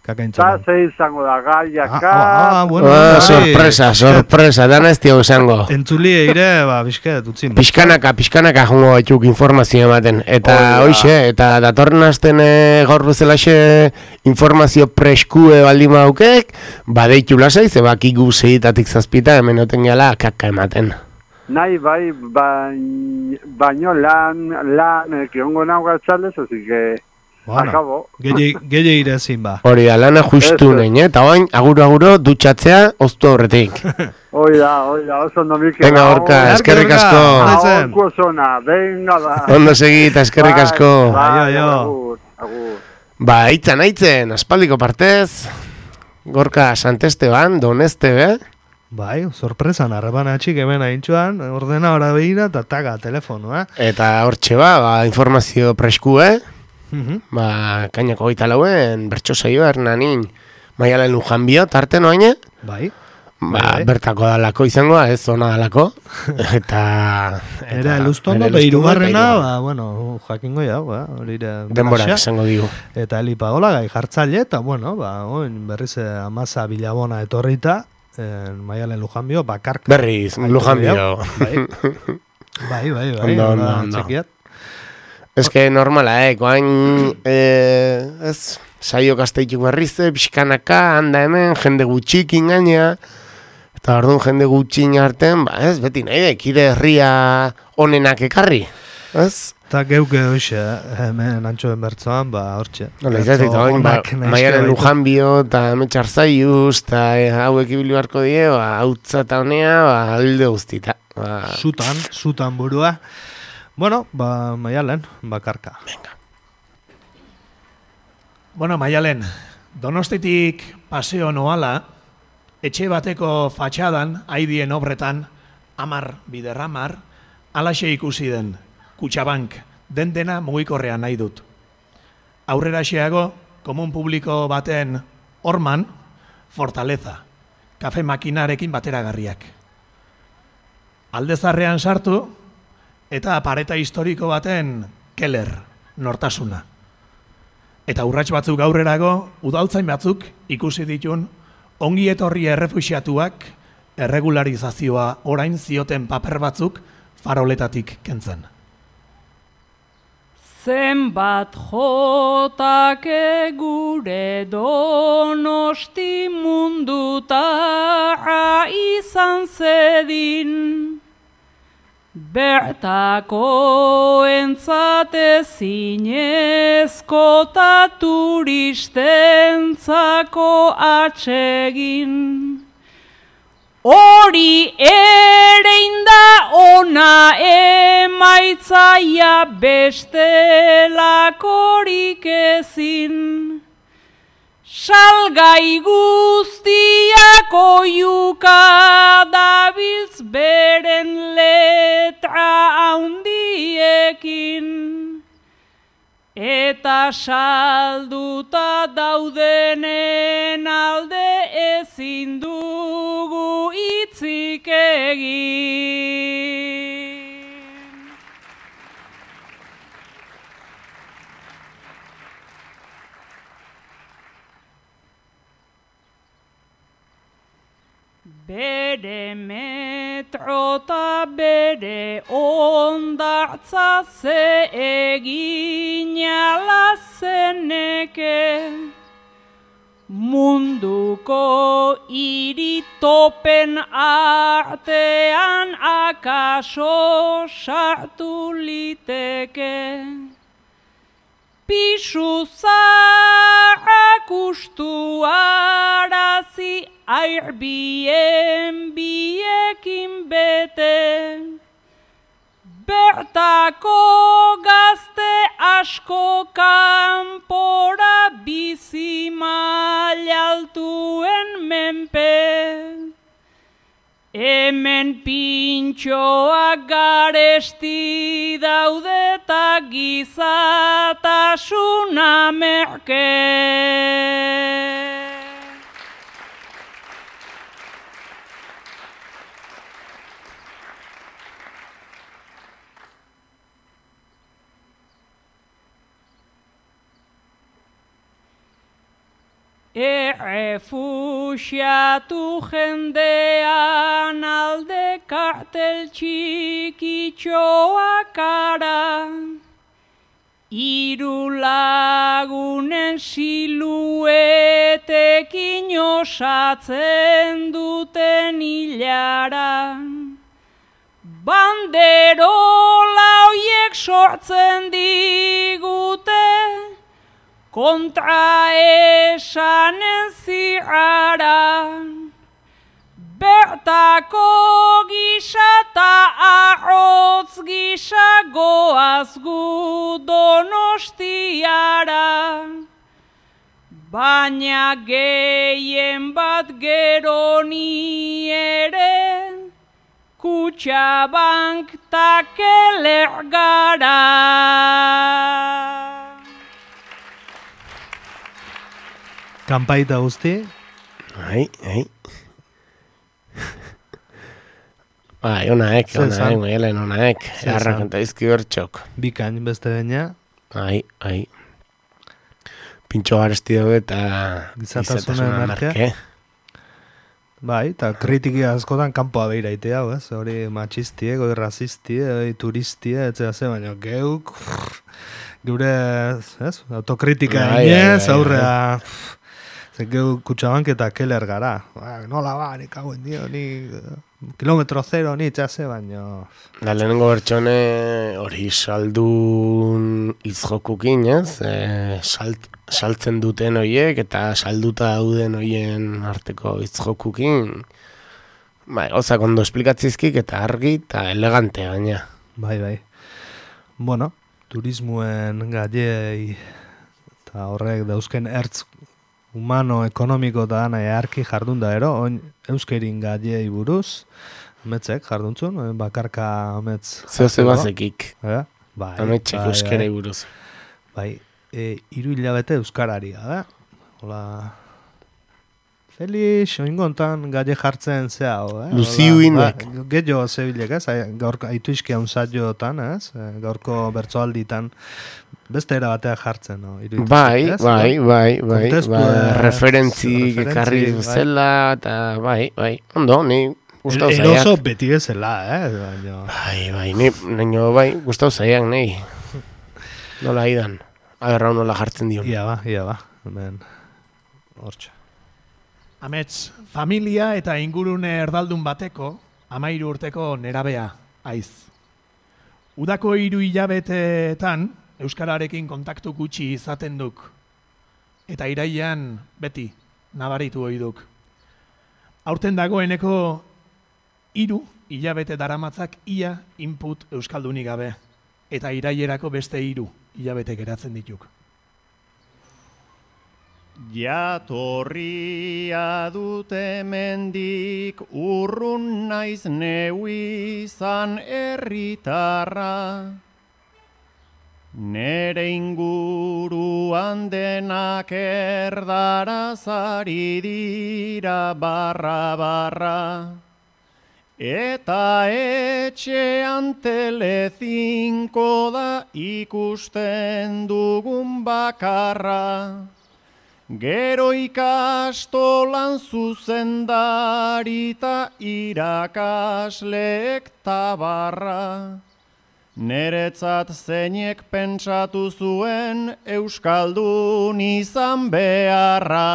S8: Eta
S1: kakaintzan.
S8: ze izango da, gaiaka...
S1: Ah, ah, bueno,
S2: Ah,
S1: hori,
S2: sorpresa, sorpresa, dana ez dio izango.
S1: Entzulie ire, ba, bizket, utzin.
S2: Pixkanaka, pixkanaka jongo batzuk informazio ematen. Eta
S8: Hoi da.
S2: hoixe, eta datorren asten e, gaur bezalaxe informazio preskue baldin baukek, badeitu lasai, ze bakigu zeitatik zazpita hemen oten gala kaka ematen.
S8: Nahi bai, bain, baino lan, lan, eh, kiongo nago galtzaldez, así que... Akabo.
S1: Gehiago ire ezin ba.
S2: Hori da, lana justu
S8: Eso.
S2: nein, eh? Eta oain, aguro-aguro dutxatzea oztu aurretik.
S8: Hoi da, hoi da, oso ondo Mikel.
S2: Venga, Gorka, eskerrik asko.
S8: Ahorko zona, venga da.
S2: Ondo segi eta eskerrik asko.
S8: Bai,
S1: Aio, aio.
S8: agur, agur.
S2: Ba, aitzan, aitzen, aspaldiko partez, Gorka Santesteban, Doneste, be?
S1: Bai, sorpresan, arreban atxik hemen aintxuan, ordena hora behira, eta taga, telefonoa.
S2: Eta hortxe ba, ba informazio presku, eh?
S1: Mhm.
S2: Ba, kainako goita lauen, bertso saioa hernanin, Maialen Lujan bio, tarte noaine?
S1: Bai.
S2: Ba,
S1: Bai.
S2: bertako dalako izangoa, ez zona dalako. eta...
S1: Era elustondo,
S2: bere
S1: behirugarrena,
S2: elustondo,
S1: ba, bueno, jakingo jau, ba, hori ere...
S2: denbora
S1: Baxa.
S2: esango digu.
S1: Eta Eli Pagola gai jartzaile, eta bueno, ba, oin berriz eh, amaza bilabona etorrita, eh, Maialen Lujanbio, bakarka.
S2: Berriz, Lujan bio.
S1: Bai, bai, bai, bai,
S2: Ondo, ondo,
S1: hola,
S2: ondo.
S1: txekiat.
S2: Ez que normala, eh, koain, eh, ez, saio gazteituk berrize, pixkanaka, handa hemen, jende gutxik ingaina, eta orduan jende gutxin artean, ba, ez, beti nahi da, kide herria onenak ekarri, ez?
S1: Eta geuke hoxe, hemen antxoen bertzoan, ba, hortxe.
S2: Nola izatik, eta oin, ba,
S1: Onak nahizke
S2: Maialen
S1: baitu.
S2: Lujanbio, eta Metxar Zaiuz, eta eh, hauek ibili beharko die, ba, hautza eta honea, ba, alde guztita. Ba,
S1: Zutan, zutan burua. Bueno, ba, Maialen, bakarka.
S5: Bueno, Maialen, Donostitik paseo noala, etxe bateko fatxadan, haidien obretan, amar biderramar, alaxe ikusi den, Kutxabank, den dena mugikorrean nahi dut. Aurrera xeago, komun publiko baten horman, Fortaleza, kafe makinarekin bateragarriak. Aldezarrean sartu, eta pareta historiko baten Keller, nortasuna. Eta urrats batzuk aurrerago, udaltzain batzuk ikusi ditun, ongi etorri errefuxiatuak, erregularizazioa orain zioten paper batzuk faroletatik kentzen.
S4: Zenbat jotake gure Donosti munduta izan zedin, bertako entzate zinezko ta turistentzako atsegin. Hori ere inda ona emaitzaia bestelakorik ezin. Salgai guztiak oiuka dabiltz beren letra haundiekin. Eta salduta daudenen alde ezin dugu hitzik egin. Bere metrota bere ondartza ze egin ala zeneke, munduko iritopen artean akaso sartu liteke. Pisu zaharrak ustu arazi airbien biekin bete. Bertako gazte asko kanpora bizi mailaltuen menpe. Hemen pintxoak garesti daude eta gizatasuna merke. Errefuxiatu jendean alde kartel txikitxoak ara. Hiru lagunen siluetekin osatzen duten hilara. Banderola hoiek sortzen digute kontra esanen zirara. Bertako gisa eta arrotz gisa goaz gu Donostiara. Baina gehien bat gero ni ere Kutxabank ta Keller gara.
S1: Kanpaita guzti?
S2: Ai, ai. Bai, onaek, onaek, maialen onaek. Arrakanta izki bertxok.
S1: Bikain beste baina.
S2: Ai, ai. Pintxo garesti daude eta
S1: gizatasuna merke. Bai, eta kritiki askotan kanpoa behiraitea, ez? Hori matxistie, goi razistie, hori turistie, etzea ze, baina geuk, geure, ez? Autokritika inez, aurrea, ze geuk Kutxabank eta Keller gara. Ba, nola ba, nik hauen dio, ni kilometro zero, ni etzea ze, baina...
S2: Da, lehenengo bertxone hori saldun izjokukin, ez? E, salt, saltzen duten horiek eta salduta dauden horien arteko izjokukin. Bai, gauzak ondo esplikatzizkik eta argi eta elegante gaina.
S1: Bai, bai. Bueno, turismoen gaiei eta horrek dauzken ertz humano, ekonomiko eta dana earki jardun da ero, oin euskerin gaiei buruz, ametzek jarduntzun, bakarka ametz...
S2: Zeo ze bazekik.
S1: Eh? Bai,
S2: ametzek
S1: bai,
S2: euskerei
S1: bai.
S2: buruz.
S1: Bai, e, iru hilabete euskarari, da? Hola... Felix, oingontan gaie jartzen zea, eh?
S2: Luziu inek.
S1: Ba, Gehiago zebilek, ez? Gaurko aitu izkia unzaiotan, ez? Gaurko bertsoalditan beste era batea jartzen, no? Iruditzen,
S2: bai,
S1: ez?
S2: bai, bai, bai,
S1: Kontestu,
S2: bai,
S1: eh,
S2: referentzi ekarri
S1: bai.
S2: zela, eta bai, bai, ondo, ni gustau
S1: El-
S2: zaiak.
S1: Eroso beti bezala, eh? Baina...
S2: Bai, bai, ni, nino, bai, gustau zaiak, nahi. Nola idan, agerrau nola jartzen dion.
S1: Ia ba, ia ba, hemen, hortxe.
S5: Amets, familia eta ingurune erdaldun bateko, amairu urteko nerabea, aiz. Udako hiru hilabeteetan, euskararekin kontaktu gutxi izaten duk. Eta irailean beti nabaritu ohi duk. Aurten dagoeneko hiru hilabete daramatzak ia input euskaldunik gabe. Eta irailerako beste hiru hilabete geratzen dituk.
S6: Jatorria dute mendik urrun naiz neu izan herritarra. Nere inguruan denak erdaraz ari dira barra barra. Eta etxean telezinko da ikusten dugun bakarra. Gero ikastolan zuzendari ta irakasleek tabarra. Neretzat zeinek pentsatu zuen euskaldun izan beharra.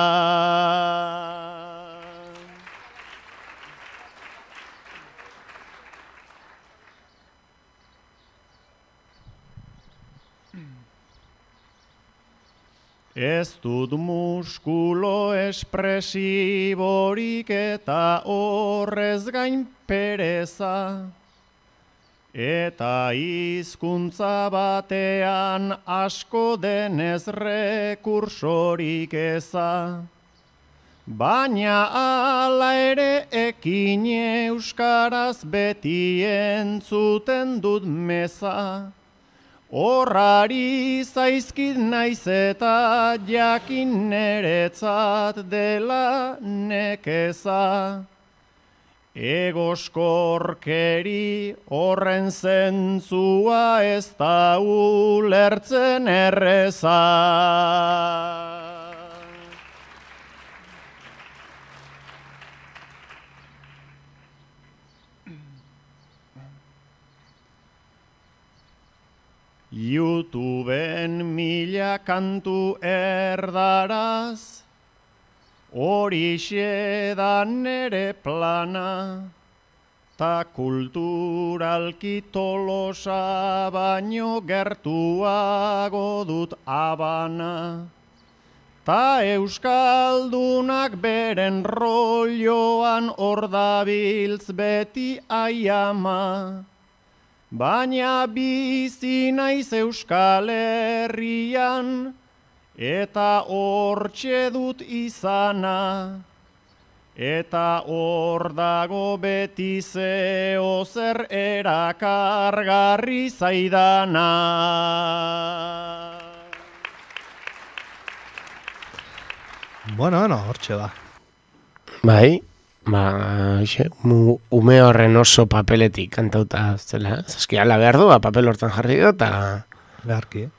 S6: Ez dut muskulo espresiborik eta horrez gain pereza. Eta hizkuntza batean asko denez rekursorik eza. Baina ala ere ekin euskaraz beti entzuten dut meza. Horrari zaizkit naiz eta jakin neretzat dela nekeza. Egoskorkeri horren zentzua ez da ulertzen erreza. YouTubeen mila kantu erdaraz, horixe da nere plana, ta kulturalki Tolosa baino gertuago dut Habana. Ta euskaldunak beren rolloan hor dabiltz beti aiama. Baina bizi naiz Euskal Herrian, eta hortxe dut izana. Eta hor dago beti zeo zer erakargarri zaidana.
S1: Bueno, bueno, hortxe ba.
S2: Bai, ba, xe, mu, ume horren oso papeletik kantauta zela. Zaskia, ala behar du, ba, papel hortan jarri du, eta...
S1: Beharki, eh?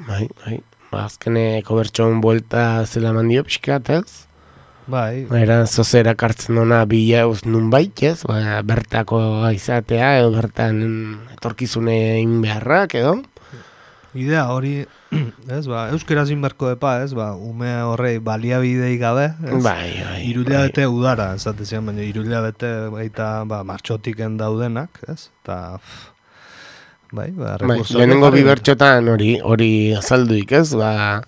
S2: Bai, bai. Ba, azkeneko bertxon buelta zela mandio pixkat, ez?
S1: Bai.
S2: Era zozera kartzen duna bila eus nun baitez, ba, bertako izatea, edo bertan etorkizune egin beharrak, edo?
S1: Idea hori, ez, ba, euskeraz inberko epa, ez, ba, ume horrei baliabidei gabe, ez?
S2: Bai, bai.
S1: Irulia bete udara, ez atezian, baina irulia bete baita, ba, martxotiken daudenak, ez? Eta, bai, ba,
S2: bai,
S1: rekurso...
S2: lehenengo bi bertxotan hori, hori azalduik, ez, ba...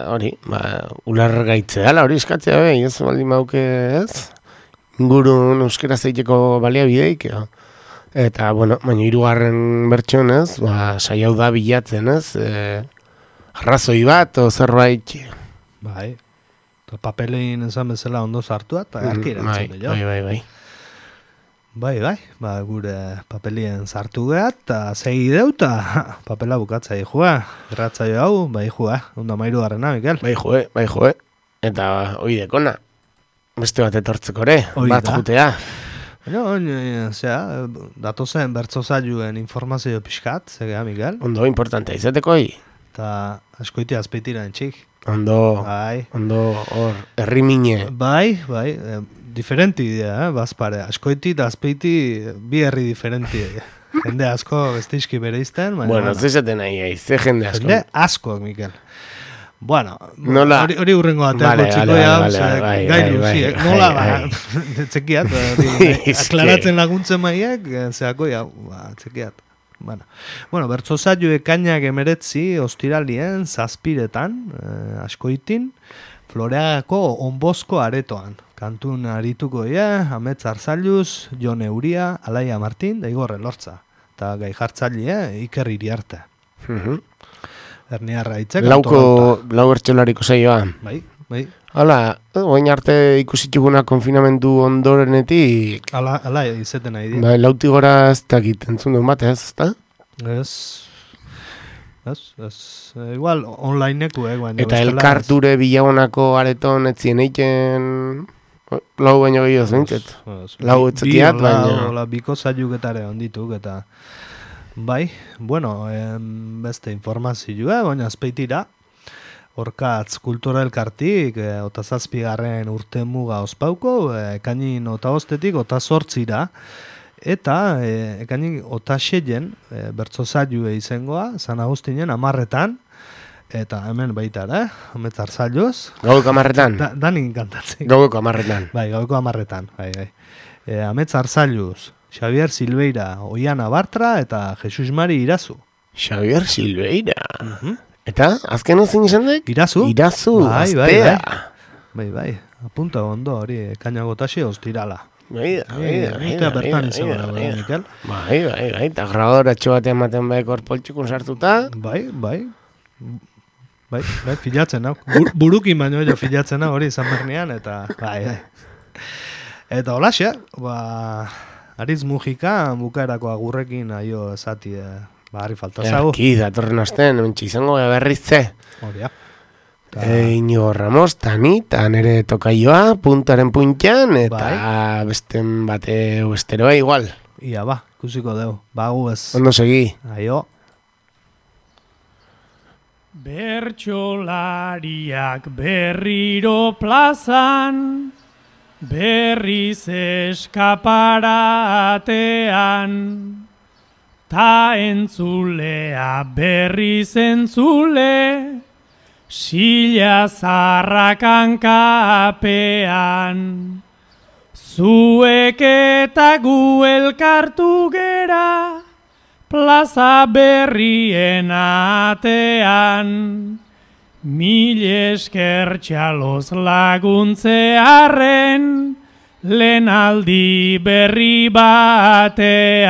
S2: Hori, ba, ular gaitze dala, hori eskatzea behi, ez, baldin mauke, ez? Ingurun euskera zeiteko baliabideik, edo? Eta, bueno, baina hirugarren bertxon, ez, ba, saiau da bilatzen, ez, e, arrazoi bat, o zerbait...
S1: Bai, eta papelein esan bezala ondo sartua, eta arki erantzun,
S2: bai, bai, bai, bai.
S1: Bai, bai, ba, gure papelien sartu gehat, eta segi deu, eta papela bukatza ihua, erratzaio hau, bai ihua, ondo mairu garrena, Mikel.
S2: Bai joe, bai joe, eta hoi dekona, beste bat etortzeko ere, bat jutea.
S1: Baina, zera, datozen bertzozailuen informazio pixkat, zegea, Mikel.
S2: Ondo importantea izateko hi.
S1: Eta askoiti azpeitira entxik.
S2: Ondo,
S1: bai.
S2: Ondo hor, herrimine.
S1: Bai, bai, eh, diferenti idea, eh, bazpare. Askoiti eta azpeiti bi herri diferenti. Jende asko besteizki bere izten.
S2: Bueno, bueno. Zezaten nahi, aiz, ze jende asko.
S1: Jende asko, Mikel. Bueno,
S2: nola...
S1: hori, hori urrengo bateako vale, txikoia, vale, vale, vale, gai luzi, nola, ba, txekiat, aklaratzen laguntzen maiak, zeako, ja, ba, txekiat. Bueno, bueno bertzozaio ekainak emeretzi ostiralien, zazpiretan, eh, askoitin, Floreagako onbozko aretoan. Kantun arituko ia, Amets Arzailuz, Jon Euria, Alaia Martin, da Igor Elortza. Eta gai jartzaile, Iker Iriarte.
S2: Uh-huh.
S1: Erniarra itzek.
S2: Lauko, lau bertxolariko zaioa.
S1: Bai, bai.
S2: Hala, oin arte ikusituguna konfinamendu ondorenetik...
S1: Ala, ala izeten nahi dira.
S2: Bai, lauti gora ez dakit, entzun duen batez, ez da?
S1: Ez... Ez, ez... Igual, onlineeko, eh, baina...
S2: Eta elkarture bilagonako areton etzien eiken... Lau baino gehioz, bintzet. Lau etzekiat, baina...
S1: Bi, biko zailugetare ondituk, eta... Bai, bueno, em, beste informazioa, baina azpeitira... Horkatz kultura elkartik, e, ota zazpigarren urte muga ospauko, e, ekainin ota ostetik, ota sortzira, eta e, ekainin ota xeien, e, bertzozailue izengoa, San Agustinen amarretan, eta hemen baita, eh? Amets Arzailuz.
S2: Gaueko amarretan?
S1: Da, danik kantatzen.
S2: Gaueko amarretan.
S1: Bai, gaueko amarretan, bai, bai. E, Amets Arzailuz, Xavier Silveira, Oiana Bartra, eta Jesus Mari Irazu.
S2: Xavier Silveira.
S1: Uh-huh.
S2: Eta, azken zein izan dek?
S1: Irazu.
S2: Irazu,
S1: bai, bai,
S2: gaztea.
S1: Bai, bai, apunta ondo hori, ekaina gotasi ostirala.
S2: Bai, bai, bai, bai,
S1: Ustea bertan
S2: bai,
S1: izan
S2: bai,
S1: gara,
S2: bai.
S1: Mikel.
S2: Bai, bai, bai, eta grabadoratxo batean ematen behar korpoltxukun sartuta.
S1: Bai, bai. Bai, bai, filatzen hau. Bur, burukin baino jo filatzen hau hori izan bernean, eta bai, bai. Eta holaxe, ba, Aritz Mujika bukaerako agurrekin aio esati, eh, ba, harri falta zagu.
S2: Erki, datorren astean, mentxe izango berrizze.
S1: Hori, ja.
S2: E, Inigo Ramos, tani, eta nere tokaioa, puntaren puntian, eta
S1: Bai.
S2: besten bate besteroa igual.
S1: Ia, ba, ikusiko deu. Ba, gu ez.
S2: Ondo segi.
S1: Aio.
S7: Bertsolariak berriro plazan, berriz eskaparatean, ta entzulea berriz entzule, sila zarrakan kapean. Zuek eta gu elkartu gera, plaza berrien atean. Mil esker txaloz laguntzearen, lehen aldi berri batean.